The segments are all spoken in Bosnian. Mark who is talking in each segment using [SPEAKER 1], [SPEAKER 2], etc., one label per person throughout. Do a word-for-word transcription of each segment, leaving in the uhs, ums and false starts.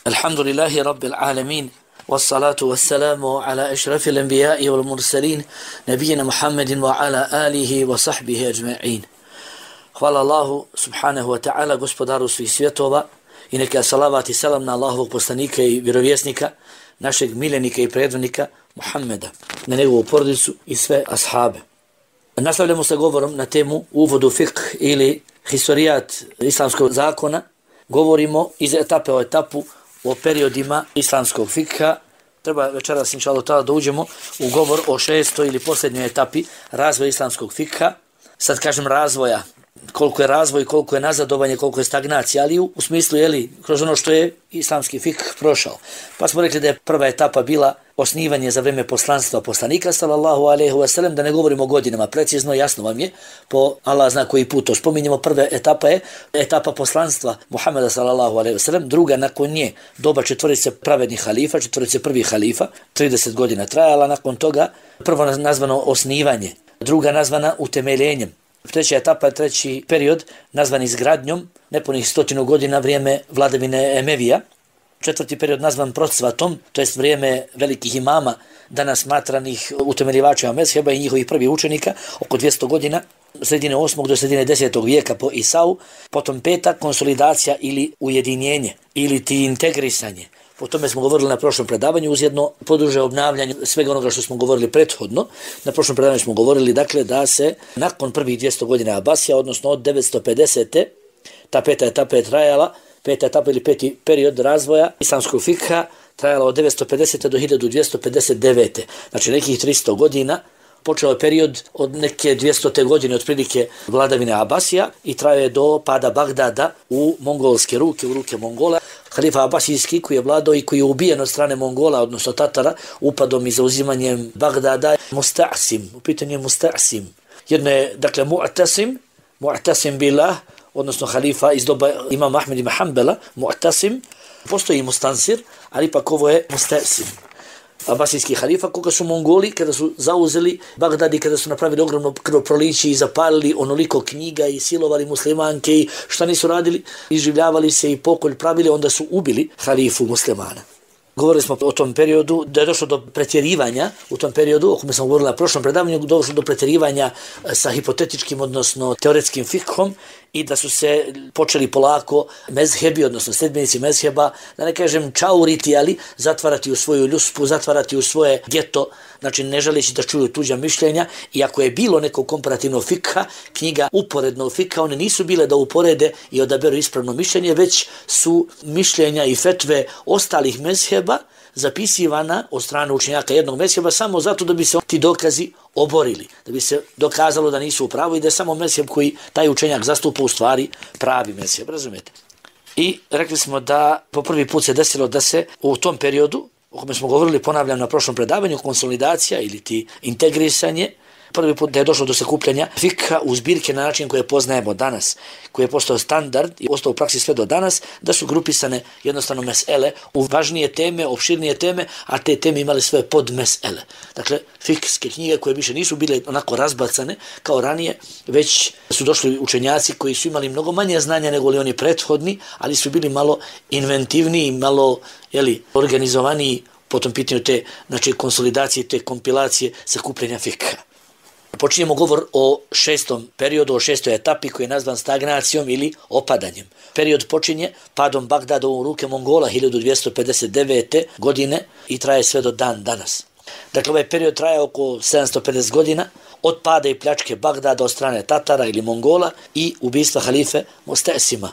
[SPEAKER 1] Alhamdulillahi Rabbil Alamin. والصلاة والسلام على أشرف الأنبياء والمرسلين نبينا محمد وعلى آله وصحبه أجمعين. Hvala Allahu subhanahu wa ta'ala, gospodaru svih svjetova, i neka salavat i salam na Allahovog poslanika i vjerovjesnika, našeg miljenika i predvodnika Muhammeda, na njegovu porodicu i sve ashabe. Nastavljamo sa govorom na temu uvodu fiqh ili historijat islamskog zakona. Govorimo iz etape o etapu o periodima islamskog fikha. Treba večeras inšallah ta'ala da uđemo u govor o šestoj ili posljednjoj etapi razvoja islamskog fikha. Sad kažem razvoja, koliko je razvoj, koliko je nazadovanje, koliko je stagnacija, ali u, u smislu, jeli, kroz ono što je islamski fikh prošao. Pa smo rekli da je prva etapa bila osnivanje za vrijeme poslanstva poslanika, sallallahu alejhi ve sellem, da ne govorimo o godinama, precizno, jasno vam je, po Allah zna koji put to spominjemo. Prva etapa je etapa poslanstva Muhameda, sallallahu alejhi ve sellem, druga nakon nje doba četvorice pravednih halifa, četvorice prvih halifa, trideset godina trajala, nakon toga prvo nazvano osnivanje, druga nazvana utemeljenjem. Treća etapa, treći period, nazvan izgradnjom, nepunih stotinu godina, vrijeme vladavine Emevija. Četvrti period nazvan procvatom, to jest vrijeme velikih imama, danas smatranih utemeljivača mezheba i njihovih prvih učenika, oko dvjesto godina, sredine osmog do sredine desetog vijeka po Isau. Potom peta, konsolidacija ili ujedinjenje, ili ti integrisanje. O tome smo govorili na prošlom predavanju, uz jedno poduže obnavljanje svega onoga što smo govorili prethodno. Na prošlom predavanju smo govorili dakle da se nakon prvih dvjesto godina Abasija, odnosno od devetsto pedesete. ta peta etapa je trajala, peta etapa ili peti period razvoja islamskog fikha trajala od devetsto pedesete do hiljadu dvjesto pedeset devete. Znači nekih tristo godina. Počeo je period od neke dvjestote godine otprilike vladavine Abasija i traje je do pada Bagdada u mongolske ruke, u ruke Mongola. Halifa Abasijski koji je vladao i koji je ubijen od strane Mongola, odnosno Tatara, upadom i zauzimanjem Bagdada, Musta'sim, u pitanju je Musta'sim. Jedno je, dakle, Mu'tasim, Mu'tasim billah, odnosno halifa iz doba imama Ahmed ibn Hanbala, Mu'tasim, postoji Mustansir, ali ipak ovo je Musta'sim. Abasijski halifa, koga su Mongoli, kada su zauzeli Bagdad i kada su napravili ogromno krvoproliće i zapalili onoliko knjiga i silovali muslimanke i šta nisu radili, iživljavali se i pokolj pravili, onda su ubili halifu muslimana. Govorili smo o tom periodu, da je došlo do pretjerivanja u tom periodu, o kome sam govorila na prošlom predavanju, došlo do pretjerivanja sa hipotetičkim, odnosno teoretskim fikhom, i da su se počeli polako mezhebi, odnosno sledbenici mezheba, da ne kažem čauriti, ali zatvarati u svoju ljuspu, zatvarati u svoje geto, znači ne želeći da čuju tuđa mišljenja. I ako je bilo neko komparativno fikha, knjiga uporednog fikha, one nisu bile da uporede i odaberu ispravno mišljenje, već su mišljenja i fetve ostalih mezheba zapisivana od strane učenjaka jednog mezheba samo zato da bi se ti dokazi oborili, da bi se dokazalo da nisu u pravu i da je samo mezheb koji taj učenjak zastupa u stvari pravi mezheb, razumijete? I rekli smo da po prvi put se desilo da se u tom periodu, o kome smo govorili, ponavljam na prošlom predavanju, konsolidacija ili ti integrisanje, prvi put da je došlo do sakupljanja fikha u zbirke na način koje poznajemo danas, koji je postao standard i ostao u praksi sve do danas, da su grupisane jednostavno mesele u važnije teme, opširnije teme, a te teme imali svoje podmesele. Dakle, fikske knjige koje više nisu bile onako razbacane kao ranije, već su došli učenjaci koji su imali mnogo manje znanja nego li oni prethodni, ali su bili malo inventivniji, malo jeli, organizovaniji po tom pitanju te, znači, konsolidacije, te kompilacije sakupljanja fikha. Počinjemo govor o šestom periodu, o šestoj etapi koji je nazvan stagnacijom ili opadanjem. Period počinje padom Bagdada u ruke Mongola hiljadu dvjesto pedeset devete. godine i traje sve do dan danas. Dakle, ovaj period traje oko sedamsto pedeset godina od pada i pljačke Bagdada od strane Tatara ili Mongola i ubistva halife Musta'sima.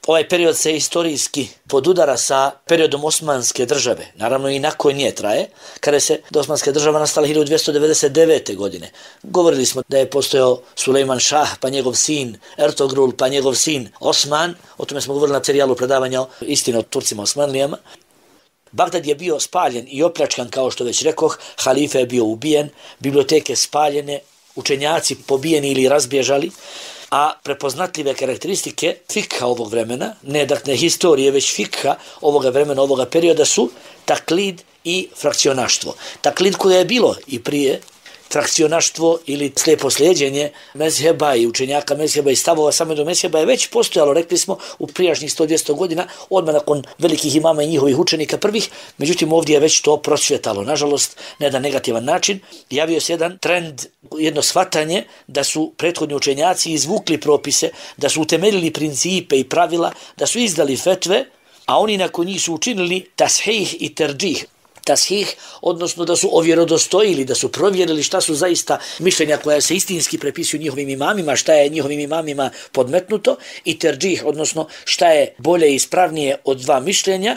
[SPEAKER 1] Ovaj period se istorijski podudara sa periodom Osmanske države, naravno i nakon nje traje, kada se Osmanska država nastala hiljadu dvjesto devedeset devete. godine. Govorili smo da je postojao Sulejman Šah, pa njegov sin Ertogrul, pa njegov sin Osman, o tome smo govorili na serijalu predavanja o istini o Turcima Osmanlijama. Bagdad je bio spaljen i opljačkan, kao što već rekoh, halifa je bio ubijen, biblioteke spaljene, učenjaci pobijeni ili razbježali, a prepoznatljive karakteristike fikha ovog vremena, ne dakle historije, već fikha ovoga vremena, ovoga perioda su taklid i frakcionaštvo. Taklid koje je bilo i prije frakcionaštvo ili slijepo slijeđenje mezheba i učenjaka mezheba i stavova samo do mezheba je već postojalo, rekli smo, u prijašnjih sto do dvjesto godina, odmah nakon velikih imama i njihovih učenika prvih, međutim ovdje je već to procvjetalo. Nažalost, na jedan negativan način, javio se jedan trend, jedno shvatanje da su prethodni učenjaci izvukli propise, da su utemeljili principe i pravila, da su izdali fetve, a oni nakon njih su učinili tashih i terđih. Tashih, odnosno da su ovjerodostojili, da su provjerili šta su zaista mišljenja koja se istinski prepisuju njihovim imamima, šta je njihovim imamima podmetnuto, i terđih, odnosno šta je bolje i ispravnije od dva mišljenja,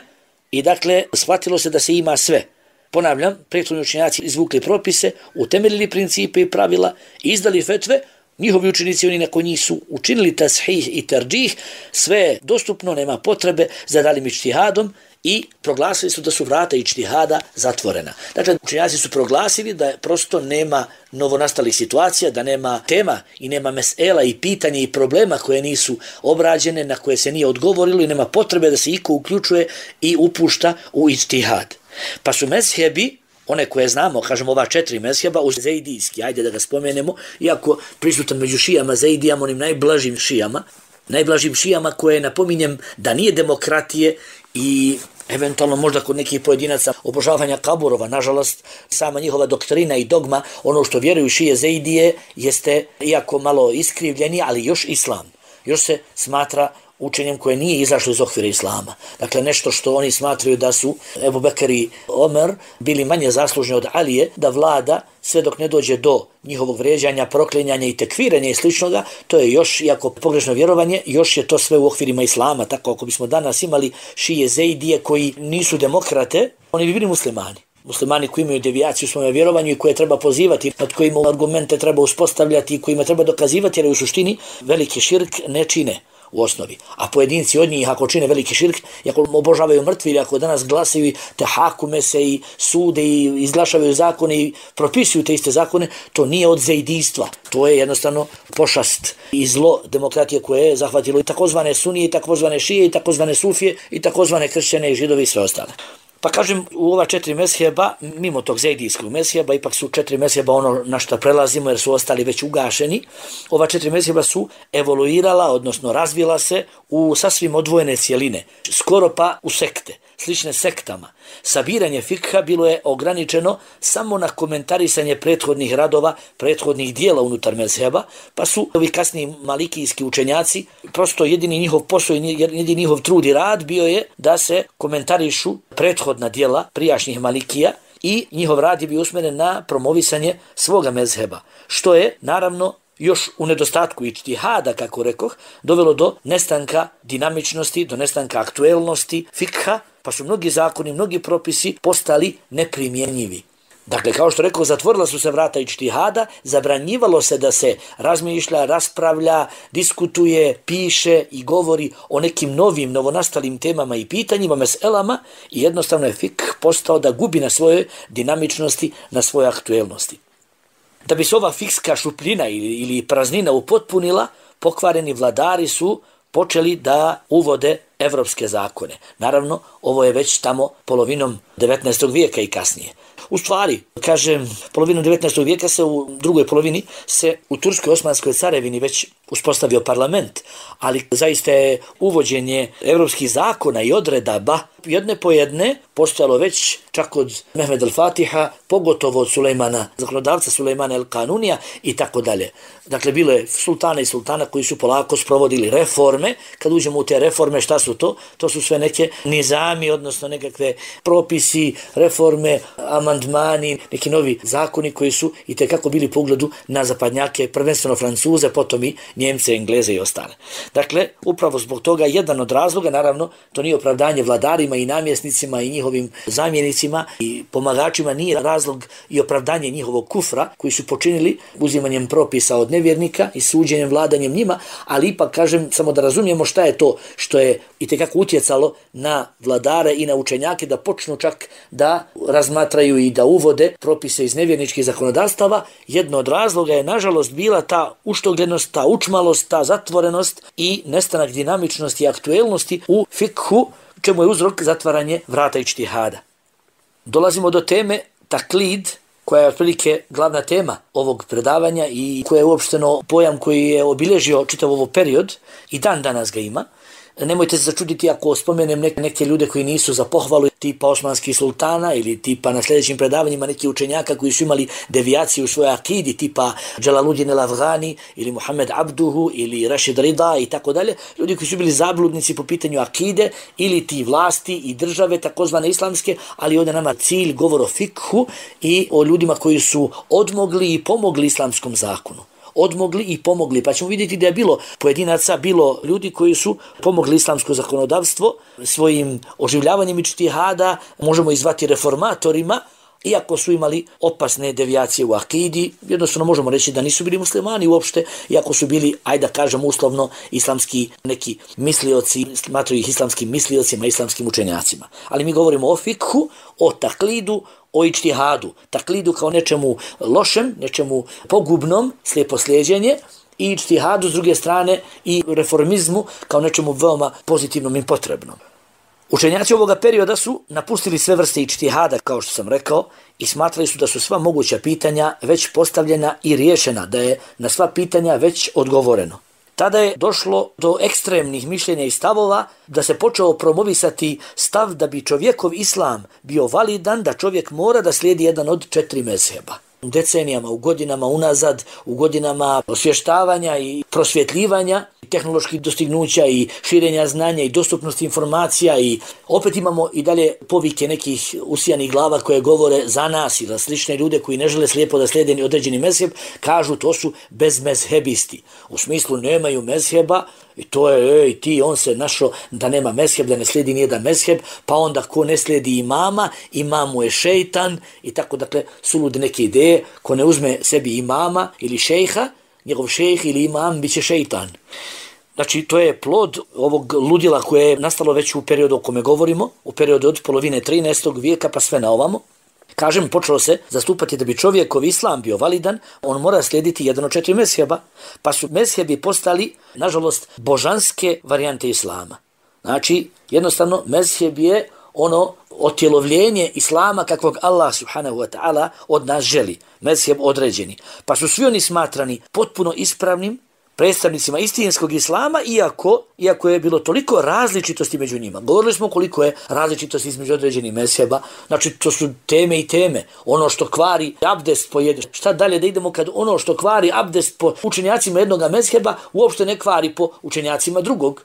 [SPEAKER 1] i dakle shvatilo se da se ima sve. Ponavljam, prethodni učenjaci izvukli propise, utemeljili principe i pravila, izdali fetve, njihovi učenici, oni nakon njih su učinili tashih i terđih, sve je dostupno, nema potrebe za daljim ičtihadom, i proglasili su da su vrata ičtihada zatvorena. Dakle, učenjaci su proglasili da prosto nema novonastalih situacija, da nema tema i nema mesela i pitanja i problema koje nisu obrađene, na koje se nije odgovorilo i nema potrebe da se iko uključuje i upušta u ičtihad. Pa su mezhebi, one koje znamo, kažemo ova četiri mezheba, uz zejdijski, ajde da ga spomenemo, iako prisutan među šijama, zejdijama, onim najblažim šijama, najblažim šijama koje napominjem da nije demokratije i eventualno možda kod nekih pojedinaca obožavanja kaburova. Nažalost, sama njihova doktrina i dogma, ono što vjeruju šije zejdije, jeste iako malo iskrivljeni, ali još islam. Još se smatra učenjem koje nije izašlo iz okvira islama. Dakle, nešto što oni smatraju da su Ebu Bekr i Omer bili manje zaslužni od Alije, da vlada sve dok ne dođe do njihovog vrijeđanja, proklinjanja i tekviranja i sličnoga, to je još, iako pogrešno vjerovanje, još je to sve u okvirima islama. Tako ako bismo danas imali šije zejdije koji nisu demokrate, oni bi bili muslimani. Muslimani koji imaju devijaciju u svome vjerovanju i koje treba pozivati, nad kojima argumente treba uspostavljati i kojima treba dokazivati, jer u suštini veliki širk ne čine u osnovi. A pojedinci od njih, ako čine veliki širk, ako obožavaju mrtvi ili ako danas glasaju te hakume se i sude i izglašavaju zakone i propisuju te iste zakone, to nije od zejdijstva. To je jednostavno pošast i zlo demokratije koje je zahvatilo i takozvane sunije, i takozvane šije, i takozvane sufije, i takozvane kršćane i židovi i sve ostale. Pa kažem, u ova četiri mezheba, mimo tog zejdijskog mezheba, ipak su četiri mezheba ono na što prelazimo jer su ostali već ugašeni, ova četiri mezheba su evoluirala, odnosno razvila se u sasvim odvojene cijeline, skoro pa u sekte, slične sektama. Sabiranje fikha bilo je ograničeno samo na komentarisanje prethodnih radova, prethodnih dijela unutar mezheba, pa su ovi kasniji malikijski učenjaci, prosto jedini njihov posao i jedini njihov trud i rad bio je da se komentarišu prethodna dijela prijašnjih malikija i njihov rad je bio usmjeren na promovisanje svoga mezheba, što je naravno još u nedostatku ičtihada, kako rekoh, dovelo do nestanka dinamičnosti, do nestanka aktuelnosti fikha, pa su mnogi zakoni, mnogi propisi postali neprimjenjivi. Dakle, kao što rekao, zatvorila su se vrata ičtihada, zabranjivalo se da se razmišlja, raspravlja, diskutuje, piše i govori o nekim novim, novonastalim temama i pitanjima, meselama, i jednostavno je fikh postao da gubi na svojoj dinamičnosti, na svojoj aktuelnosti. Da bi se ova fikska šupljina ili, ili praznina upotpunila, pokvareni vladari su počeli da uvode evropske zakone. Naravno, ovo je već tamo polovinom devetnaestog vijeka i kasnije. U stvari, kažem, polovinom devetnaestog vijeka se u drugoj polovini se u Turskoj Osmanskoj carevini već uspostavio parlament, ali zaista je uvođenje evropskih zakona i odredaba jedne po jedne postojalo već čak od Mehmed al-Fatiha, pogotovo od Sulejmana, zakonodavca Sulejmana el-Kanunija i tako dalje. Dakle, bilo je sultana i sultana koji su polako sprovodili reforme. Kad uđemo u te reforme, šta su to? To su sve neke nizami, odnosno nekakve propisi, reforme, amandmani, neki novi zakoni koji su i tekako bili po ugledu na zapadnjake, prvenstveno Francuze, potom i Njemce, Engleze i ostale. Dakle, upravo zbog toga jedan od razloga, naravno, to nije opravdanje vladarima i namjesnicima i njihovim zamjenicima i pomagačima, nije razlog i opravdanje njihovog kufra koji su počinili uzimanjem propisa od nevjernika i suđenjem, vladanjem njima, ali ipak kažem samo da razumijemo šta je to što je itekako utjecalo na vladare i na učenjake da počnu čak da razmatraju i da uvode propise iz nevjerničkih zakonodavstava. Jedno od razloga je nažalost bila ta uštogljenost, ta učmalost, ta zatvorenost i nestanak dinamičnosti i aktuelnosti u fikhu, čemu je uzrok zatvaranje vrata ičtihada. Dolazimo do teme taklid, koja je otprilike glavna tema ovog predavanja i koja je uopšteno pojam koji je obilježio čitav ovo period i dan danas ga ima. Nemojte se začuditi ako spomenem neke, neke ljude koji nisu za pohvalu, tipa osmanskih sultana ili tipa na sljedećim predavanjima neki učenjaka koji su imali devijaciju u svojoj akidi, tipa Džalaluddin el-Afghani ili Muhammed Abduhu ili Rashid Rida i tako dalje. Ljudi koji su bili zabludnici po pitanju akide ili ti vlasti i države takozvane islamske, ali ovdje nama cilj govor o fikhu i o ljudima koji su odmogli i pomogli islamskom zakonu. Odmogli i pomogli, pa ćemo vidjeti da je bilo pojedinaca, bilo ljudi koji su pomogli islamsko zakonodavstvo svojim oživljavanjem ičtihada, možemo izvati reformatorima, iako su imali opasne devijacije u akidi, jednostavno možemo reći da nisu bili muslimani uopšte, iako su bili, ajde da kažem uslovno, islamski neki mislioci, smatraju ih islamskim misliocima, islamskim učenjacima. Ali mi govorimo o fikhu, o taklidu, o ičtihadu. Taklidu kao nečemu lošem, nečemu pogubnom, slijepo slijeđenje, i ičtihadu s druge strane i reformizmu kao nečemu veoma pozitivnom i potrebnom. Učenjaci ovoga perioda su napustili sve vrste ičtihada, kao što sam rekao, i smatrali su da su sva moguća pitanja već postavljena i riješena, da je na sva pitanja već odgovoreno. Tada je došlo do ekstremnih mišljenja i stavova da se počeo promovisati stav da bi čovjekov islam bio validan, da čovjek mora da slijedi jedan od četiri mezheba. U decenijama, u godinama unazad, u godinama osvještavanja i prosvjetljivanja, tehnoloških dostignuća i širenja znanja i dostupnosti informacija i opet imamo i dalje povike nekih usijanih glava koje govore za nas ili slične ljude koji ne žele slijepo da slijede određeni mezheb, kažu to su bezmezhebisti. U smislu nemaju mezheba i to je, ej, ti, on se našao da nema mezheb, da ne slijedi nijedan mezheb, pa onda ko ne slijedi imama, imam mu je šeitan i tako, dakle, sulude neke ideje, ko ne uzme sebi imama ili šejha, njegov šejh ili imam biće šeitan. Znači, to je plod ovog ludila koje je nastalo već u periodu o kome govorimo, u periodu od polovine trinaestog vijeka pa sve na ovamo. Kažem, počelo se zastupati da bi čovjekov islam bio validan, on mora slijediti jedan od četiri mezheba, pa su mezhebi postali, nažalost, božanske varijante islama. Znači, jednostavno, mezheb je ono otjelovljenje islama kakvog Allah subhanahu wa ta'ala od nas želi, mezheb određeni. Pa su svi oni smatrani potpuno ispravnim predstavnicima istinskog islama, iako, iako je bilo toliko različitosti među njima. Govorili smo koliko je različitosti između određenih mezheba, znači to su teme i teme. Ono što kvari abdest po jednom. Šta dalje da idemo kad ono što kvari abdest po učenjacima jednog mezheba uopšte ne kvari po učenjacima drugog.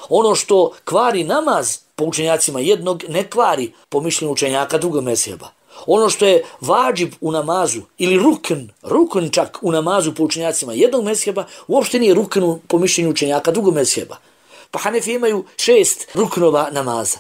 [SPEAKER 1] Ono što kvari namaz po učenjacima jednog ne kvari po mišljenju učenjaka drugog mezheba. Ono što je vađib u namazu ili rukn, rukn čak u namazu po učenjacima jednog mezheba, uopšte nije rukn po mišljenju učenjaka drugog mezheba. Pa Hanefi imaju šest ruknova namaza.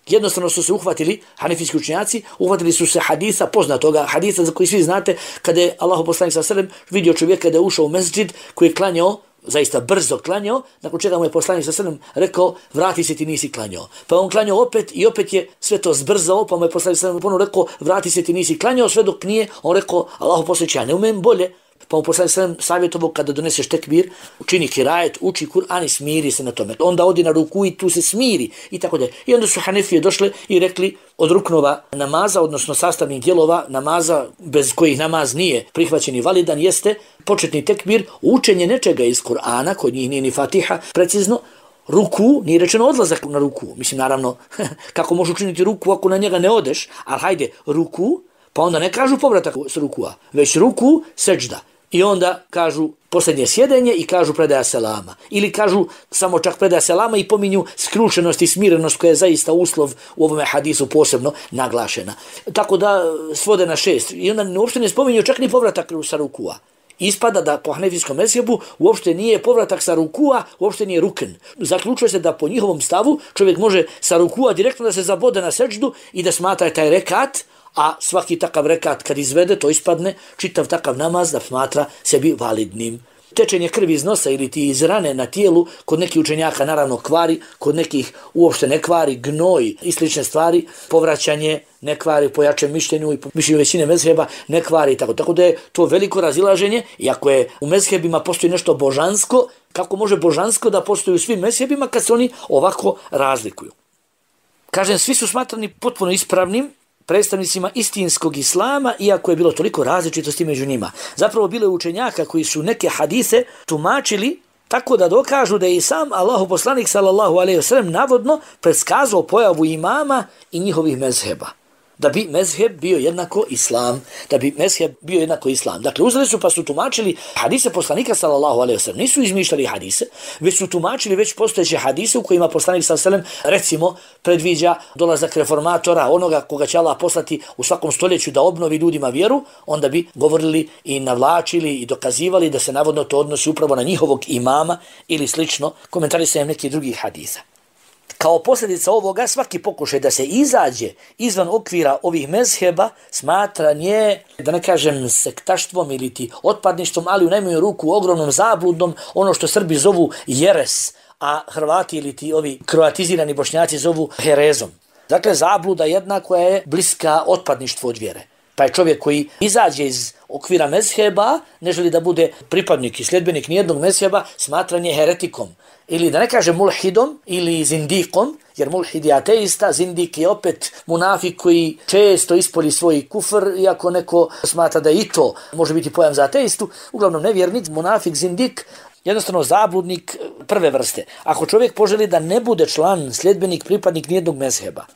[SPEAKER 1] Jednostavno su se uhvatili, hanefijski učenjaci, uhvatili su se hadisa, poznatoga hadisa za koji svi znate, kada je Allahu poslanik sallallahu alejhi ve sellem vidio čovjeka da je ušao u mesdžid koji je klanjao, zaista brzo klanjao, nakon čega mu je poslanik sallallahu alejhi ve sellem rekao, vrati se, ti nisi klanjao. Pa on klanjao opet i opet je sve to zbrzao, pa mu je poslanik sallallahu alejhi ve sellem ponovo rekao, vrati se, ti nisi klanjao, sve dok nije, on rekao, Allahu poslaniče, ja ne umem bolje. Pa mu poslanik sallallahu alejhi ve sellem savjetovao kada doneseš tekbir, učini kirajet, uči Kur'an i smiri se na tome. Onda odi na ruku i tu se smiri i tako dalje. I onda su Hanefije došle i rekli od ruknova namaza, odnosno sastavnih dijelova namaza bez kojih namaz nije prihvaćen i validan, jeste početni tekbir, učenje nečega iz Kur'ana, kod njih nije ni Fatiha, precizno, ruku, nije rečeno odlazak na ruku. Mislim, naravno, kako možeš učiniti ruku ako na njega ne odeš, ali hajde, ruku, pa onda ne kažu povratak s rukua, već ruku, seđda. I onda kažu posljednje sjedenje i kažu predaja selama. Ili kažu samo čak predaja selama i pominju skrušenost i smirenost koja je zaista uslov u ovome hadisu posebno naglašena. Tako da svode na šest. I onda uopšte ne spominju čak ni povratak sa rukua. Ispada da po hanefijskom mezhebu uopšte nije povratak sa rukua, uopšte nije rukn. Zaključuje se da po njihovom stavu čovjek može sa rukua direktno da se zabode na seđdu i da smatra taj rekat, a svaki takav rekat kad izvede, to ispadne čitav takav namaz da smatra sebi validnim. Tečenje krvi iz nosa ili ti iz rane na tijelu, kod nekih učenjaka naravno kvari, kod nekih uopšte ne kvari, gnoj i slične stvari, povraćanje ne kvari po jačem mišljenju i po mišljenju većine mezheba ne kvari. Tako, tako da je to veliko razilaženje, iako je u mezhebima postoji nešto božansko, kako može božansko da postoji u svim mezhebima kad se oni ovako razlikuju. Kažem, svi su smatrani potpuno ispravnim, predstavnicima istinskog islama, iako je bilo toliko različitosti među njima. Zapravo bilo je učenjaka koji su neke hadise tumačili tako da dokažu da je i sam Allahu poslanik sallallahu alejhi ve sellem navodno predskazao pojavu imama i njihovih mezheba. Da bi mezheb bio jednako islam, da bi mezheb bio jednako islam. Dakle, uzeli su pa su tumačili hadise poslanika sallallahu alejhi ve sellem. Nisu izmišljali hadise, već su tumačili već postojeće hadise u kojima poslanik sallallahu alejhi ve sellem recimo predviđa dolazak reformatora, onoga koga će Allah poslati u svakom stoljeću da obnovi ljudima vjeru, onda bi govorili i navlačili i dokazivali da se navodno to odnosi upravo na njihovog imama ili slično, komentarisanje nekih drugih hadisa. Kao posljedica ovoga, svaki pokušaj da se izađe izvan okvira ovih mezheba smatra nje, da ne kažem sektaštvom ili ti otpadništvom, ali u najmanju ruku ogromnom zabludom, ono što Srbi zovu jeres, a Hrvati ili ti ovi kroatizirani Bošnjaci zovu herezom. Dakle, zabluda jedna koja je bliska otpadništvu od vjere. Pa je čovjek koji izađe iz okvira mezheba, ne želi da bude pripadnik i sljedbenik nijednog mezheba, smatran je heretikom. Ili da ne kaže mulhidom ili zindikom, jer mulhid je ateista, zindik je opet munafik koji često ispolji svoj kufr, iako neko smatra da i to može biti pojam za ateistu, uglavnom nevjernik, munafik, zindik, jednostavno zabludnik prve vrste. Ako čovjek poželi da ne bude član, sljedbenik, pripadnik nijednog mezheba,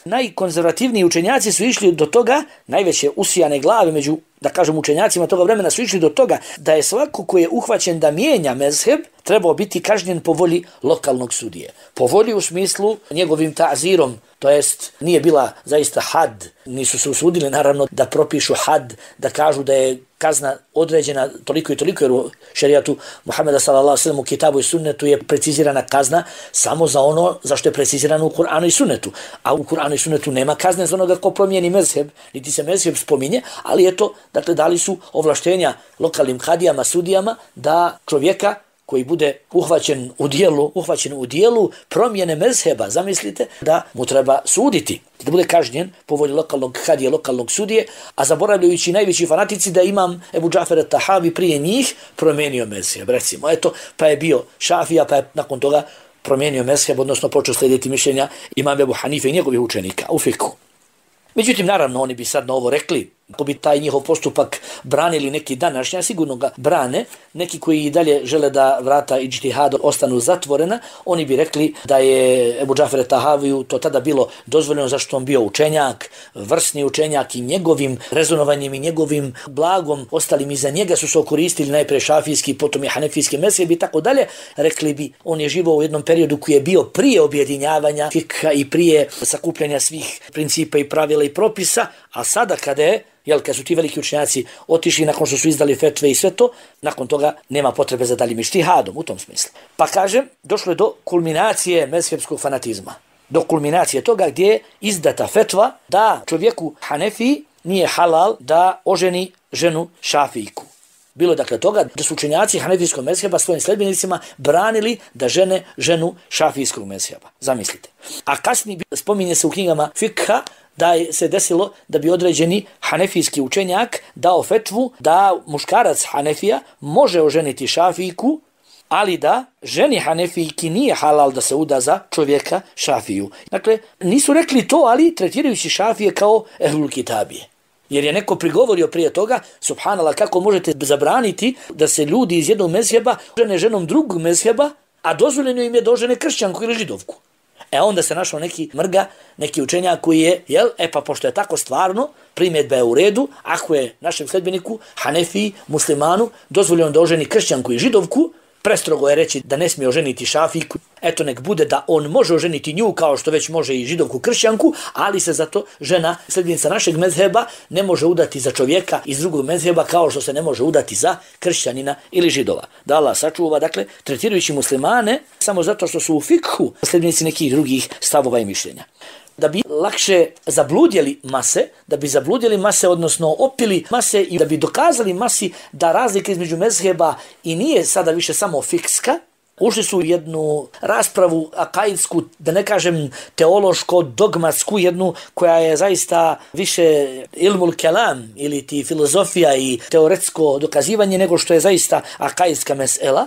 [SPEAKER 1] najkonzervativniji učenjaci su išli do toga, najveće usijane glave među, da kažem, učenjacima toga vremena su išli do toga da je svako ko je uhvaćen da mijenja mezheb trebao biti kažnjen po volji lokalnog sudije. Po volji u smislu njegovim ta'zirom, to jest nije bila zaista had, nisu se usudili naravno da propišu had, da kažu da je kazna određena toliko i toliko, jer u šerijatu Muhameda sallallahu alejhi ve sellem u kitabu i sunnetu je precizirana kazna samo za ono za što je precizirano u Kur'anu i sunnetu. A u Kur'anu i sunnetu nema kazne za onoga ko promijeni mezheb, niti se mezheb spominje, ali eto, dakle, dali su ovlaštenja lokalnim hadijama, sudijama da čovjeka koji bude uhvaćen u dijelu, uhvaćen u dijelu promjene mezheba, zamislite, da mu treba suditi, da bude kažnjen po volji lokalnog hadije, lokalnog sudije, a zaboravljajući najveći fanatici da imam Ebu Džafer at-Tahavi prije njih promijenio mezheb, recimo, eto, pa je bio šafija, pa je nakon toga promijenio mezheb, odnosno počeo slijediti mišljenja imam Ebu Hanife i njegovih učenika u fiku. Međutim, naravno, oni bi sad na ovo rekli, ako bi taj njihov postupak branili neki današnja, sigurno ga brane, neki koji i dalje žele da vrata ijtihada ostanu zatvorena, oni bi rekli da je Ebu Džafer at-Tahaviju to tada bilo dozvoljeno zašto on bio učenjak, vrsni učenjak i njegovim rezonovanjem i njegovim blagom ostalim iza njega su se okoristili najprije šafijski, potom i hanefijski mezheb i tako dalje. Rekli bi, on je živao u jednom periodu koji je bio prije objedinjavanja fikha i prije sakupljanja svih principa i pravila i propisa, a sada kada je Jel, kad su ti veliki učenjaci otišli nakon što su izdali fetve i sve to, nakon toga nema potrebe za daljim ištihadom u tom smislu. Pa kažem, došlo je do kulminacije mezhebskog fanatizma. Do kulminacije toga gdje je izdata fetva da čovjeku Hanefiji nije halal da oženi ženu šafijku. Bilo je dakle toga da su učenjaci hanefijskog mezheba svojim sljedbenicima branili da žene ženu šafijskog mezheba. Zamislite. A kasnije spominje se u knjigama fikha da je se desilo da bi određeni hanefijski učenjak dao fetvu da muškarac Hanefija može oženiti šafijku, ali da ženi Hanefijki nije halal da se uda za čovjeka šafiju. Dakle, nisu rekli to, ali tretirajući šafije kao ehlul kitabije. Jer je neko prigovorio prije toga, subhanallah, kako možete zabraniti da se ljudi iz jednog mezheba žene ženom drugog mezheba, a dozvoljeno im je da ožene kršćanku ili židovku. E onda se našao neki mrga, neki učenjak koji je, jel, e pa pošto je tako stvarno, primjedba je u redu, ako je našem sledbeniku, Hanefiji, muslimanu, dozvoljeno da oženi kršćanku i židovku, prestrogo je reći da ne smije oženiti šafijku, eto nek bude da on može oženiti nju kao što već može i židovku kršćanku, ali se zato žena, sljedbenica našeg mezheba, ne može udati za čovjeka iz drugog mezheba kao što se ne može udati za kršćanina ili židova. Da Allah sačuva, dakle, tretirajući muslimane samo zato što su u fikhu sljedbenici nekih drugih stavova i mišljenja. Da bi lakše zabludjeli mase, da bi zabludjeli mase, odnosno opili mase i da bi dokazali masi da razlika između mezheba i nije sada više samo fikska, ušli su u jednu raspravu akaidsku, da ne kažem teološko, dogmatsku, jednu koja je zaista više ilmul kelam ili ti filozofija i teoretsko dokazivanje nego što je zaista akaidska mesela.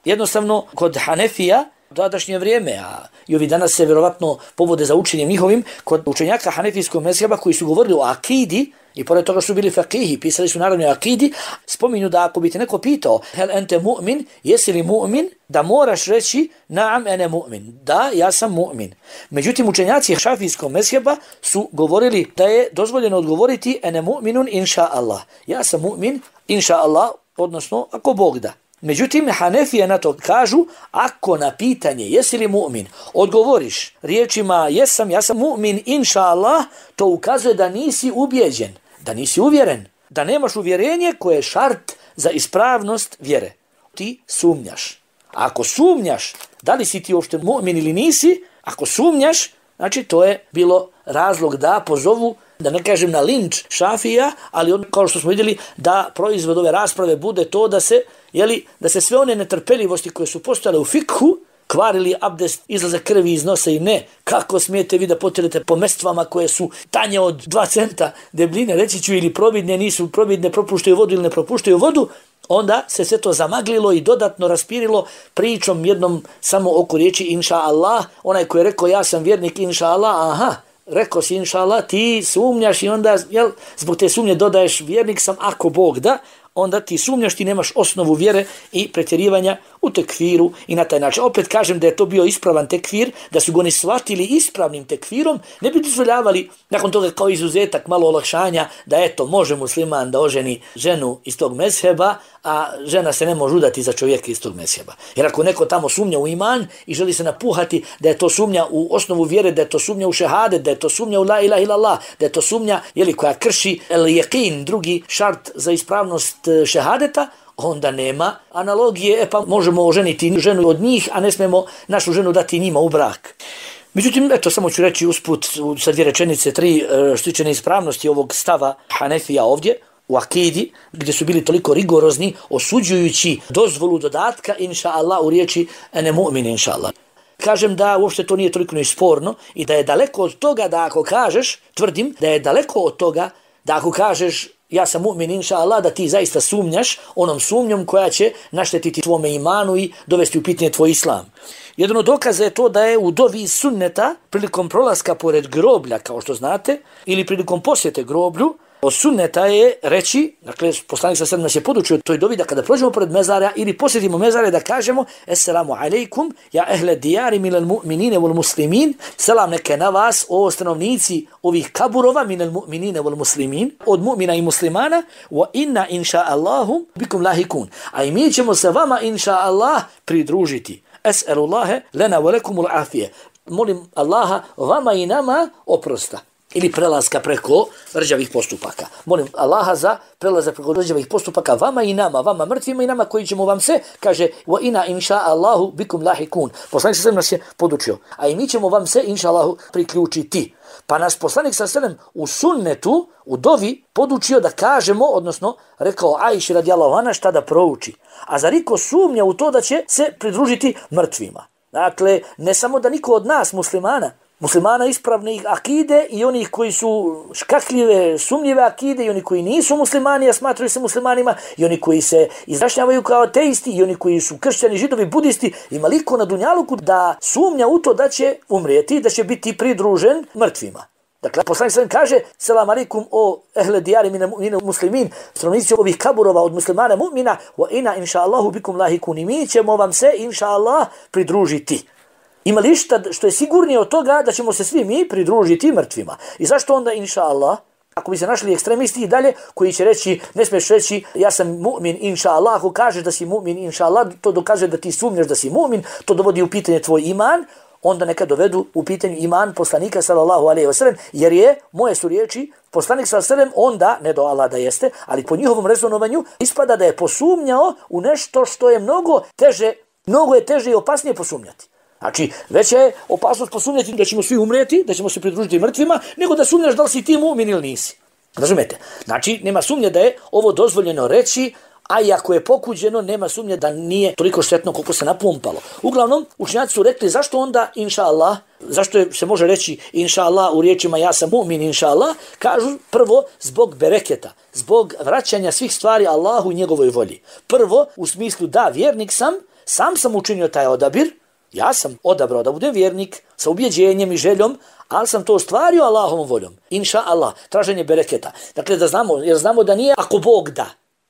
[SPEAKER 1] Jednostavno, kod Hanefija današnje vrijeme, a i ovi danas se vjerovatno povode za učenjem njihovim kod učenjaka hanefijskog mezheba koji su govorili o akidi i pored toga su bili fakihi, pisali su naravno o akidi, spominju da ako bi te neko pitao hel ente mu'min, jesi li mu'min, da moraš reći naam ene mu'min, da ja sam mu'min. Međutim učenjaci šafijskog mezheba su govorili da je dozvoljeno odgovoriti ene mu'minun inša Allah, ja sam mu'min inša Allah, odnosno ako Bog da. Međutim, Hanefije na to kažu, ako na pitanje jesi li mu'min, odgovoriš riječima jesam, ja sam mu'min, inša Allah, to ukazuje da nisi ubijeđen, da nisi uvjeren, da nemaš uvjerenje koje je šart za ispravnost vjere. Ti sumnjaš. A ako sumnjaš, da li si ti uopšte mu'min ili nisi, ako sumnjaš, znači to je bilo razlog da pozovu, da ne kažem na linč šafija, ali on, kao što smo vidjeli, da proizvod ove rasprave bude to da se, jeli, da se sve one netrpeljivosti koje su postojale u fikhu, kvarili abdest, izlaze krvi iz nosa i ne, kako smijete vi da potjerete po mestvama koje su tanje od dva centa debljine, reći ću, ili probidne, nisu probidne, propuštaju vodu ili ne propuštaju vodu, onda se sve to zamaglilo i dodatno raspirilo pričom jednom samo oko riječi inša Allah. Onaj koji je rekao ja sam vjernik inša Allah, aha, rekao si inša Allah, ti sumnjaš i onda jel, zbog te sumnje dodaješ vjernik sam ako Bog da, onda ti sumnjaš, ti nemaš osnovu vjere i pretjerivanja u tekfiru i na taj način. Opet kažem da je to bio ispravan tekfir, da su ga oni shvatili ispravnim tekfirom, ne bi dozvoljavali nakon toga kao izuzetak malo olakšanja da eto može musliman da oženi ženu iz tog mezheba, a žena se ne može udati za čovjeka iz tog mezheba. Jer ako neko tamo sumnja u iman i želi se napuhati da je to sumnja u osnovu vjere, da je to sumnja u šehadet, da je to sumnja u la ilaha illallah, da je to sumnja jeli, koja krši el jeqin, drugi šart za ispravnost šehadeta, onda nema analogije, e pa možemo oženiti ženu od njih, a ne smemo našu ženu dati njima u brak. Međutim, eto, samo ću reći usput sa dvije rečenice, tri što tiče neispravnosti ovog stava Hanefija ovdje, u akidi, gdje su bili toliko rigorozni, osuđujući dozvolu dodatka, inša Allah, u riječi ene mu'min, inša Allah. Kažem da uopšte to nije toliko sporno i da je daleko od toga da ako kažeš, tvrdim da je daleko od toga da ako kažeš ja sam mu'min inša Allah, da ti zaista sumnjaš onom sumnjom koja će naštetiti tvome imanu i dovesti u pitanje tvoj islam. Jedan od dokaza je to da je u dovi iz sunneta prilikom prolaska pored groblja, kao što znate, ili prilikom posjete groblju, od sunneta je reći, dakle, poslanik sa sedam nas je podučio toj dovi da kada prođemo pored mezara ili posjetimo mezare da kažemo Esselamu alejkum, ja ehle dijari minel mu'minine vol muslimin, selam neke na vas, o stanovnici ovih kaburova minel mu'minine vol muslimin, od mu'mina i muslimana, wa inna inša Allahum bikum lahikun. A i mi ćemo se vama inša Allah pridružiti. Es'elullahe lena velekumul afije. Molim Allaha vama i nama oprosta. Ili prelaska preko rđavih postupaka. Molim Allaha za prelazak preko rđavih postupaka vama i nama, vama mrtvima i nama koji ćemo vam se, kaže, wa ina inša Allahu bikum lahikun. Poslanik sa selem nas je podučio, a i mi ćemo vam se, inša Allahu, priključiti. Pa nas poslanik sa selem u sunnetu, u dovi, podučio da kažemo, odnosno rekao Ajši radijallahu anha šta da prouči. A zar iko sumnja u to da će se pridružiti mrtvima? Dakle, ne samo da niko od nas, muslimana, muslimana ispravne akide i onih koji su škakljive, sumnjive akide i oni koji nisu muslimani, a smatraju se muslimanima, i oni koji se izrašnjavaju kao ateisti i oni koji su kršćani, židovi, budisti, ima liko na dunjaluku da sumnja u to da će umrijeti, da će biti pridružen mrtvima. Dakle, poslanik sallallahu alejhi ve sellem kaže selam alejkum o ehle dijari mine muslimin, stanovnici ovih kaburova od muslimana mu'mina, wa ina inša Allahu bikum lahikun, i mi ćemo vam se inša Allah pridružiti. Ima li šta što je sigurnije od toga da ćemo se svi mi pridružiti mrtvima? I zašto onda inša Allah? Ako bi se našli ekstremisti i dalje koji će reći, ne smiješ reći ja sam mu'min inša Allah, ako kažeš da si mu'min inša Allah, to dokazuje da ti sumnjaš da si mu'min, to dovodi u pitanje tvoj iman, onda neka dovedu u pitanju iman poslanika sallallahu alejhi ve sellem, jer je, moje su riječi, poslanik sallallahu alejhi ve sellem onda, ne do Allah da jeste, ali po njihovom rezonovanju ispada da je posumnjao u nešto što je mnogo teže, mnogo je teže i opasnije posumnjati. Znači, veća je opasnost posumnjati da ćemo svi umreti, da ćemo se pridružiti mrtvima, nego da sumnjaš da li si ti mu'min ili nisi. Razumete? Znači, nema sumnje da je ovo dozvoljeno reći, a i ako je pokuđeno, nema sumnje da nije toliko štetno koliko se napumpalo. Uglavnom, učenjaci su rekli zašto onda, inša Allah, zašto je, se može reći inša Allah u riječima ja sam mu'min inša Allah, kažu prvo zbog bereketa, zbog vraćanja svih stvari Allahu i njegovoj volji. Prvo, u smislu da, vjernik sam, sam sam učinio taj odabir, Ja sam odabrao da budem vjernik sa ubjeđenjem i željom, ali sam to ostvario Allahovom voljom. Inša Allah, traženje bereketa. Dakle, da znamo, jer znamo da nije ako Bog da.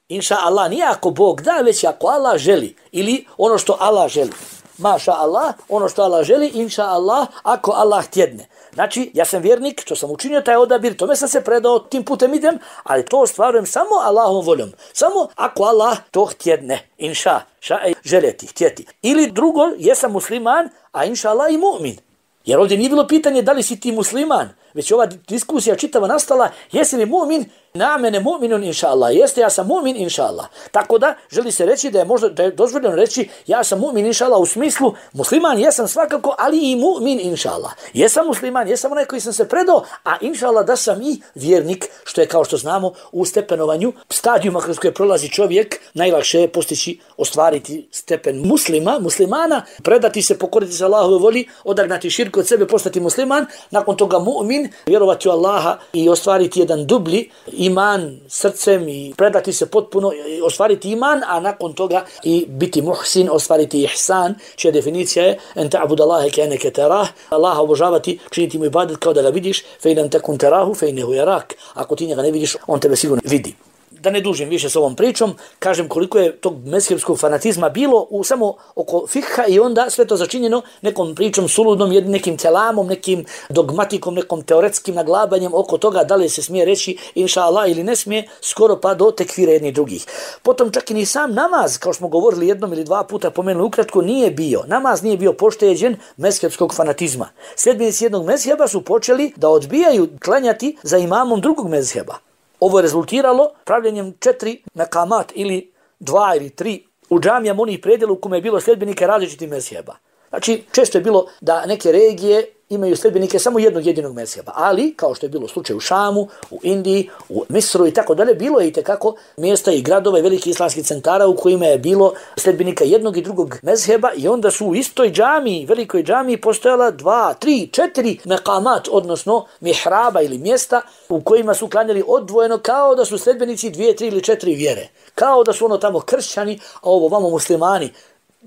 [SPEAKER 1] Inša Allah, nije ako Bog da, već ako Allah želi. Ili ono što Allah želi. Maša Allah, ono što Allah želi, inša Allah, ako Allah htjedne. Znači, ja sam vjernik, što sam učinio taj odabir, tome sam se predao, tim putem idem, ali to ostvarujem samo Allahovom voljom. Samo ako Allah to htjedne, inša, ša, željeti, htjeti. Ili drugo, jesam musliman, a inša Allah i mu'min. Jer ovdje nije bilo pitanje da li si ti musliman, već ova diskusija čitava nastala, jesi li mu'min, na mene mu'minun inša Allah. Jeste, ja sam mu'min inša Allah. Tako da, želi se reći da je možda da je dozvoljeno reći ja sam mu'min inša Allah u smislu musliman jesam svakako, ali i mu'min inša Allah. Jesam musliman, jesam onaj koji sam se predao, a inša Allah da sam i vjernik, što je kao što znamo u stepenovanju, stadijuma kroz koje prolazi čovjek, najlakše je postići, ostvariti stepen muslima, muslimana, predati se, pokoriti se Allahove voli, odagnati širk od sebe, postati musliman, nakon toga mu'min, vjerovati u Allaha i ostvariti jedan dublji iman srcem i predati se potpuno, ostvariti iman, a nakon toga i biti muhsin, ostvariti ihsan, čija definicija je en ta'bud Allahe ka'annaka tarah, Allaha obožavati, činiti mu ibadet kao da ga vidiš, fe in lam takun tarahu fe innehu yarak. Ako ti njega ne vidiš, on tebe sigurno vidi. Da ne dužim više s ovom pričom, kažem koliko je tog mezhebskog fanatizma bilo u samo oko fikha i onda sve to začinjeno nekom pričom suludnom, nekim kelamom, nekim dogmatikom, nekom teoretskim naglabanjem oko toga da li se smije reći inša Allah ili ne smije, skoro pa do tekfira jednih drugih. Potom čak i ni sam namaz, kao što smo govorili jednom ili dva puta pomenuli ukratko, nije bio. Namaz nije bio pošteđen mezhebskog fanatizma. Sljedbenici jednog mezheba su počeli da odbijaju klanjati za imamom drugog mezheba. Ovo je rezultiralo pravljenjem četiri mekamat ili dva ili tri u džamijama onih predjela u kome je bilo sljedbenike različitih mezheba. Znači, često je bilo da neke regije imaju sljedbenike samo jednog jedinog mezheba, ali, kao što je bilo slučaj u Šamu, u Indiji, u Misru i tako dalje, bilo je i tekako mjesta i gradova i velikih islamskih centara u kojima je bilo sljedbenika jednog i drugog mezheba i onda su u istoj džamiji, velikoj džamiji, postojala dva, tri, četiri mekamat, odnosno mihraba ili mjesta u kojima su klanjali odvojeno kao da su sljedbenici dvije, tri ili četiri vjere. Kao da su ono tamo kršćani, a ovo vamo muslimani.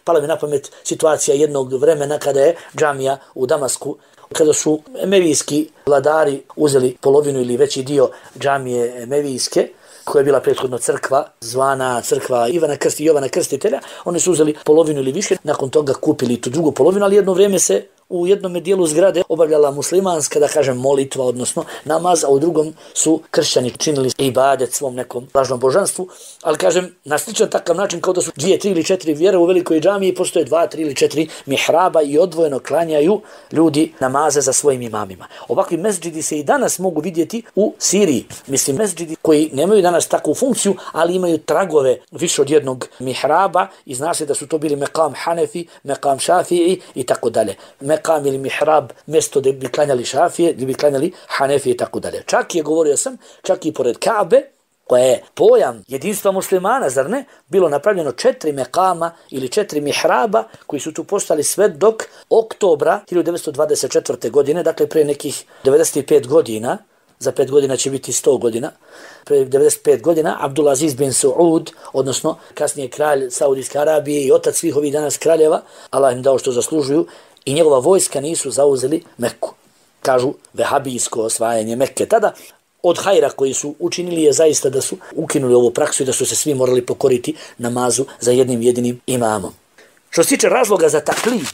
[SPEAKER 1] Pala mi na pamet situacija jednog vremena kada je džamija u Damasku, kada su emevijski vladari uzeli polovinu ili veći dio džamije emevijske, koja je bila prethodno crkva, zvana crkva Ivana Krsti i Jovana Krstitelja, oni su uzeli polovinu ili više, nakon toga kupili tu drugu polovinu, ali jedno vrijeme se u jednom dijelu zgrade obavljala muslimanska, da kažem, molitva, odnosno namaz, a u drugom su kršćani činili ibadet svom nekom lažnom božanstvu, ali kažem, na sličan takav način kao da su dvije, tri ili četiri vjere u velikoj džamiji, postoje dva, tri ili četiri mihraba i odvojeno klanjaju ljudi namaze za svojim imamima. Ovakvi mesdžidi se i danas mogu vidjeti u Siriji. Mislim, mesdžidi koji nemaju danas takvu funkciju, ali imaju tragove više od jednog mihraba i zna se da su to bili mekam Hanefi, mekam Šafiji i tako dalje. Mekam ili mihrab, mjesto gdje bi klanjali Šafije, gdje bi klanjali Hanefije i tako dalje. Čak je, govorio sam, čak i pored Kabe, koja je pojam jedinstva muslimana, zar ne, bilo napravljeno četiri mekama ili četiri mihraba koji su tu postali sve dok oktobra hiljadu devetsto dvadeset četvrte. godine, dakle pre nekih devedeset pet godina, za pet godina će biti sto godina, pre devedeset pet godina, Abdulaziz bin Saud, odnosno kasnije kralj Saudijske Arabije i otac svih ovih danas kraljeva, Allah im dao što zaslužuju, i njegova vojska nisu zauzeli Meku. Kažu vehabijsko osvajanje Mekke. Tada od hajra koji su učinili je zaista da su ukinuli ovu praksu i da su se svi morali pokoriti namazu za jednim jedinim imamom. Što se tiče razloga za taklid,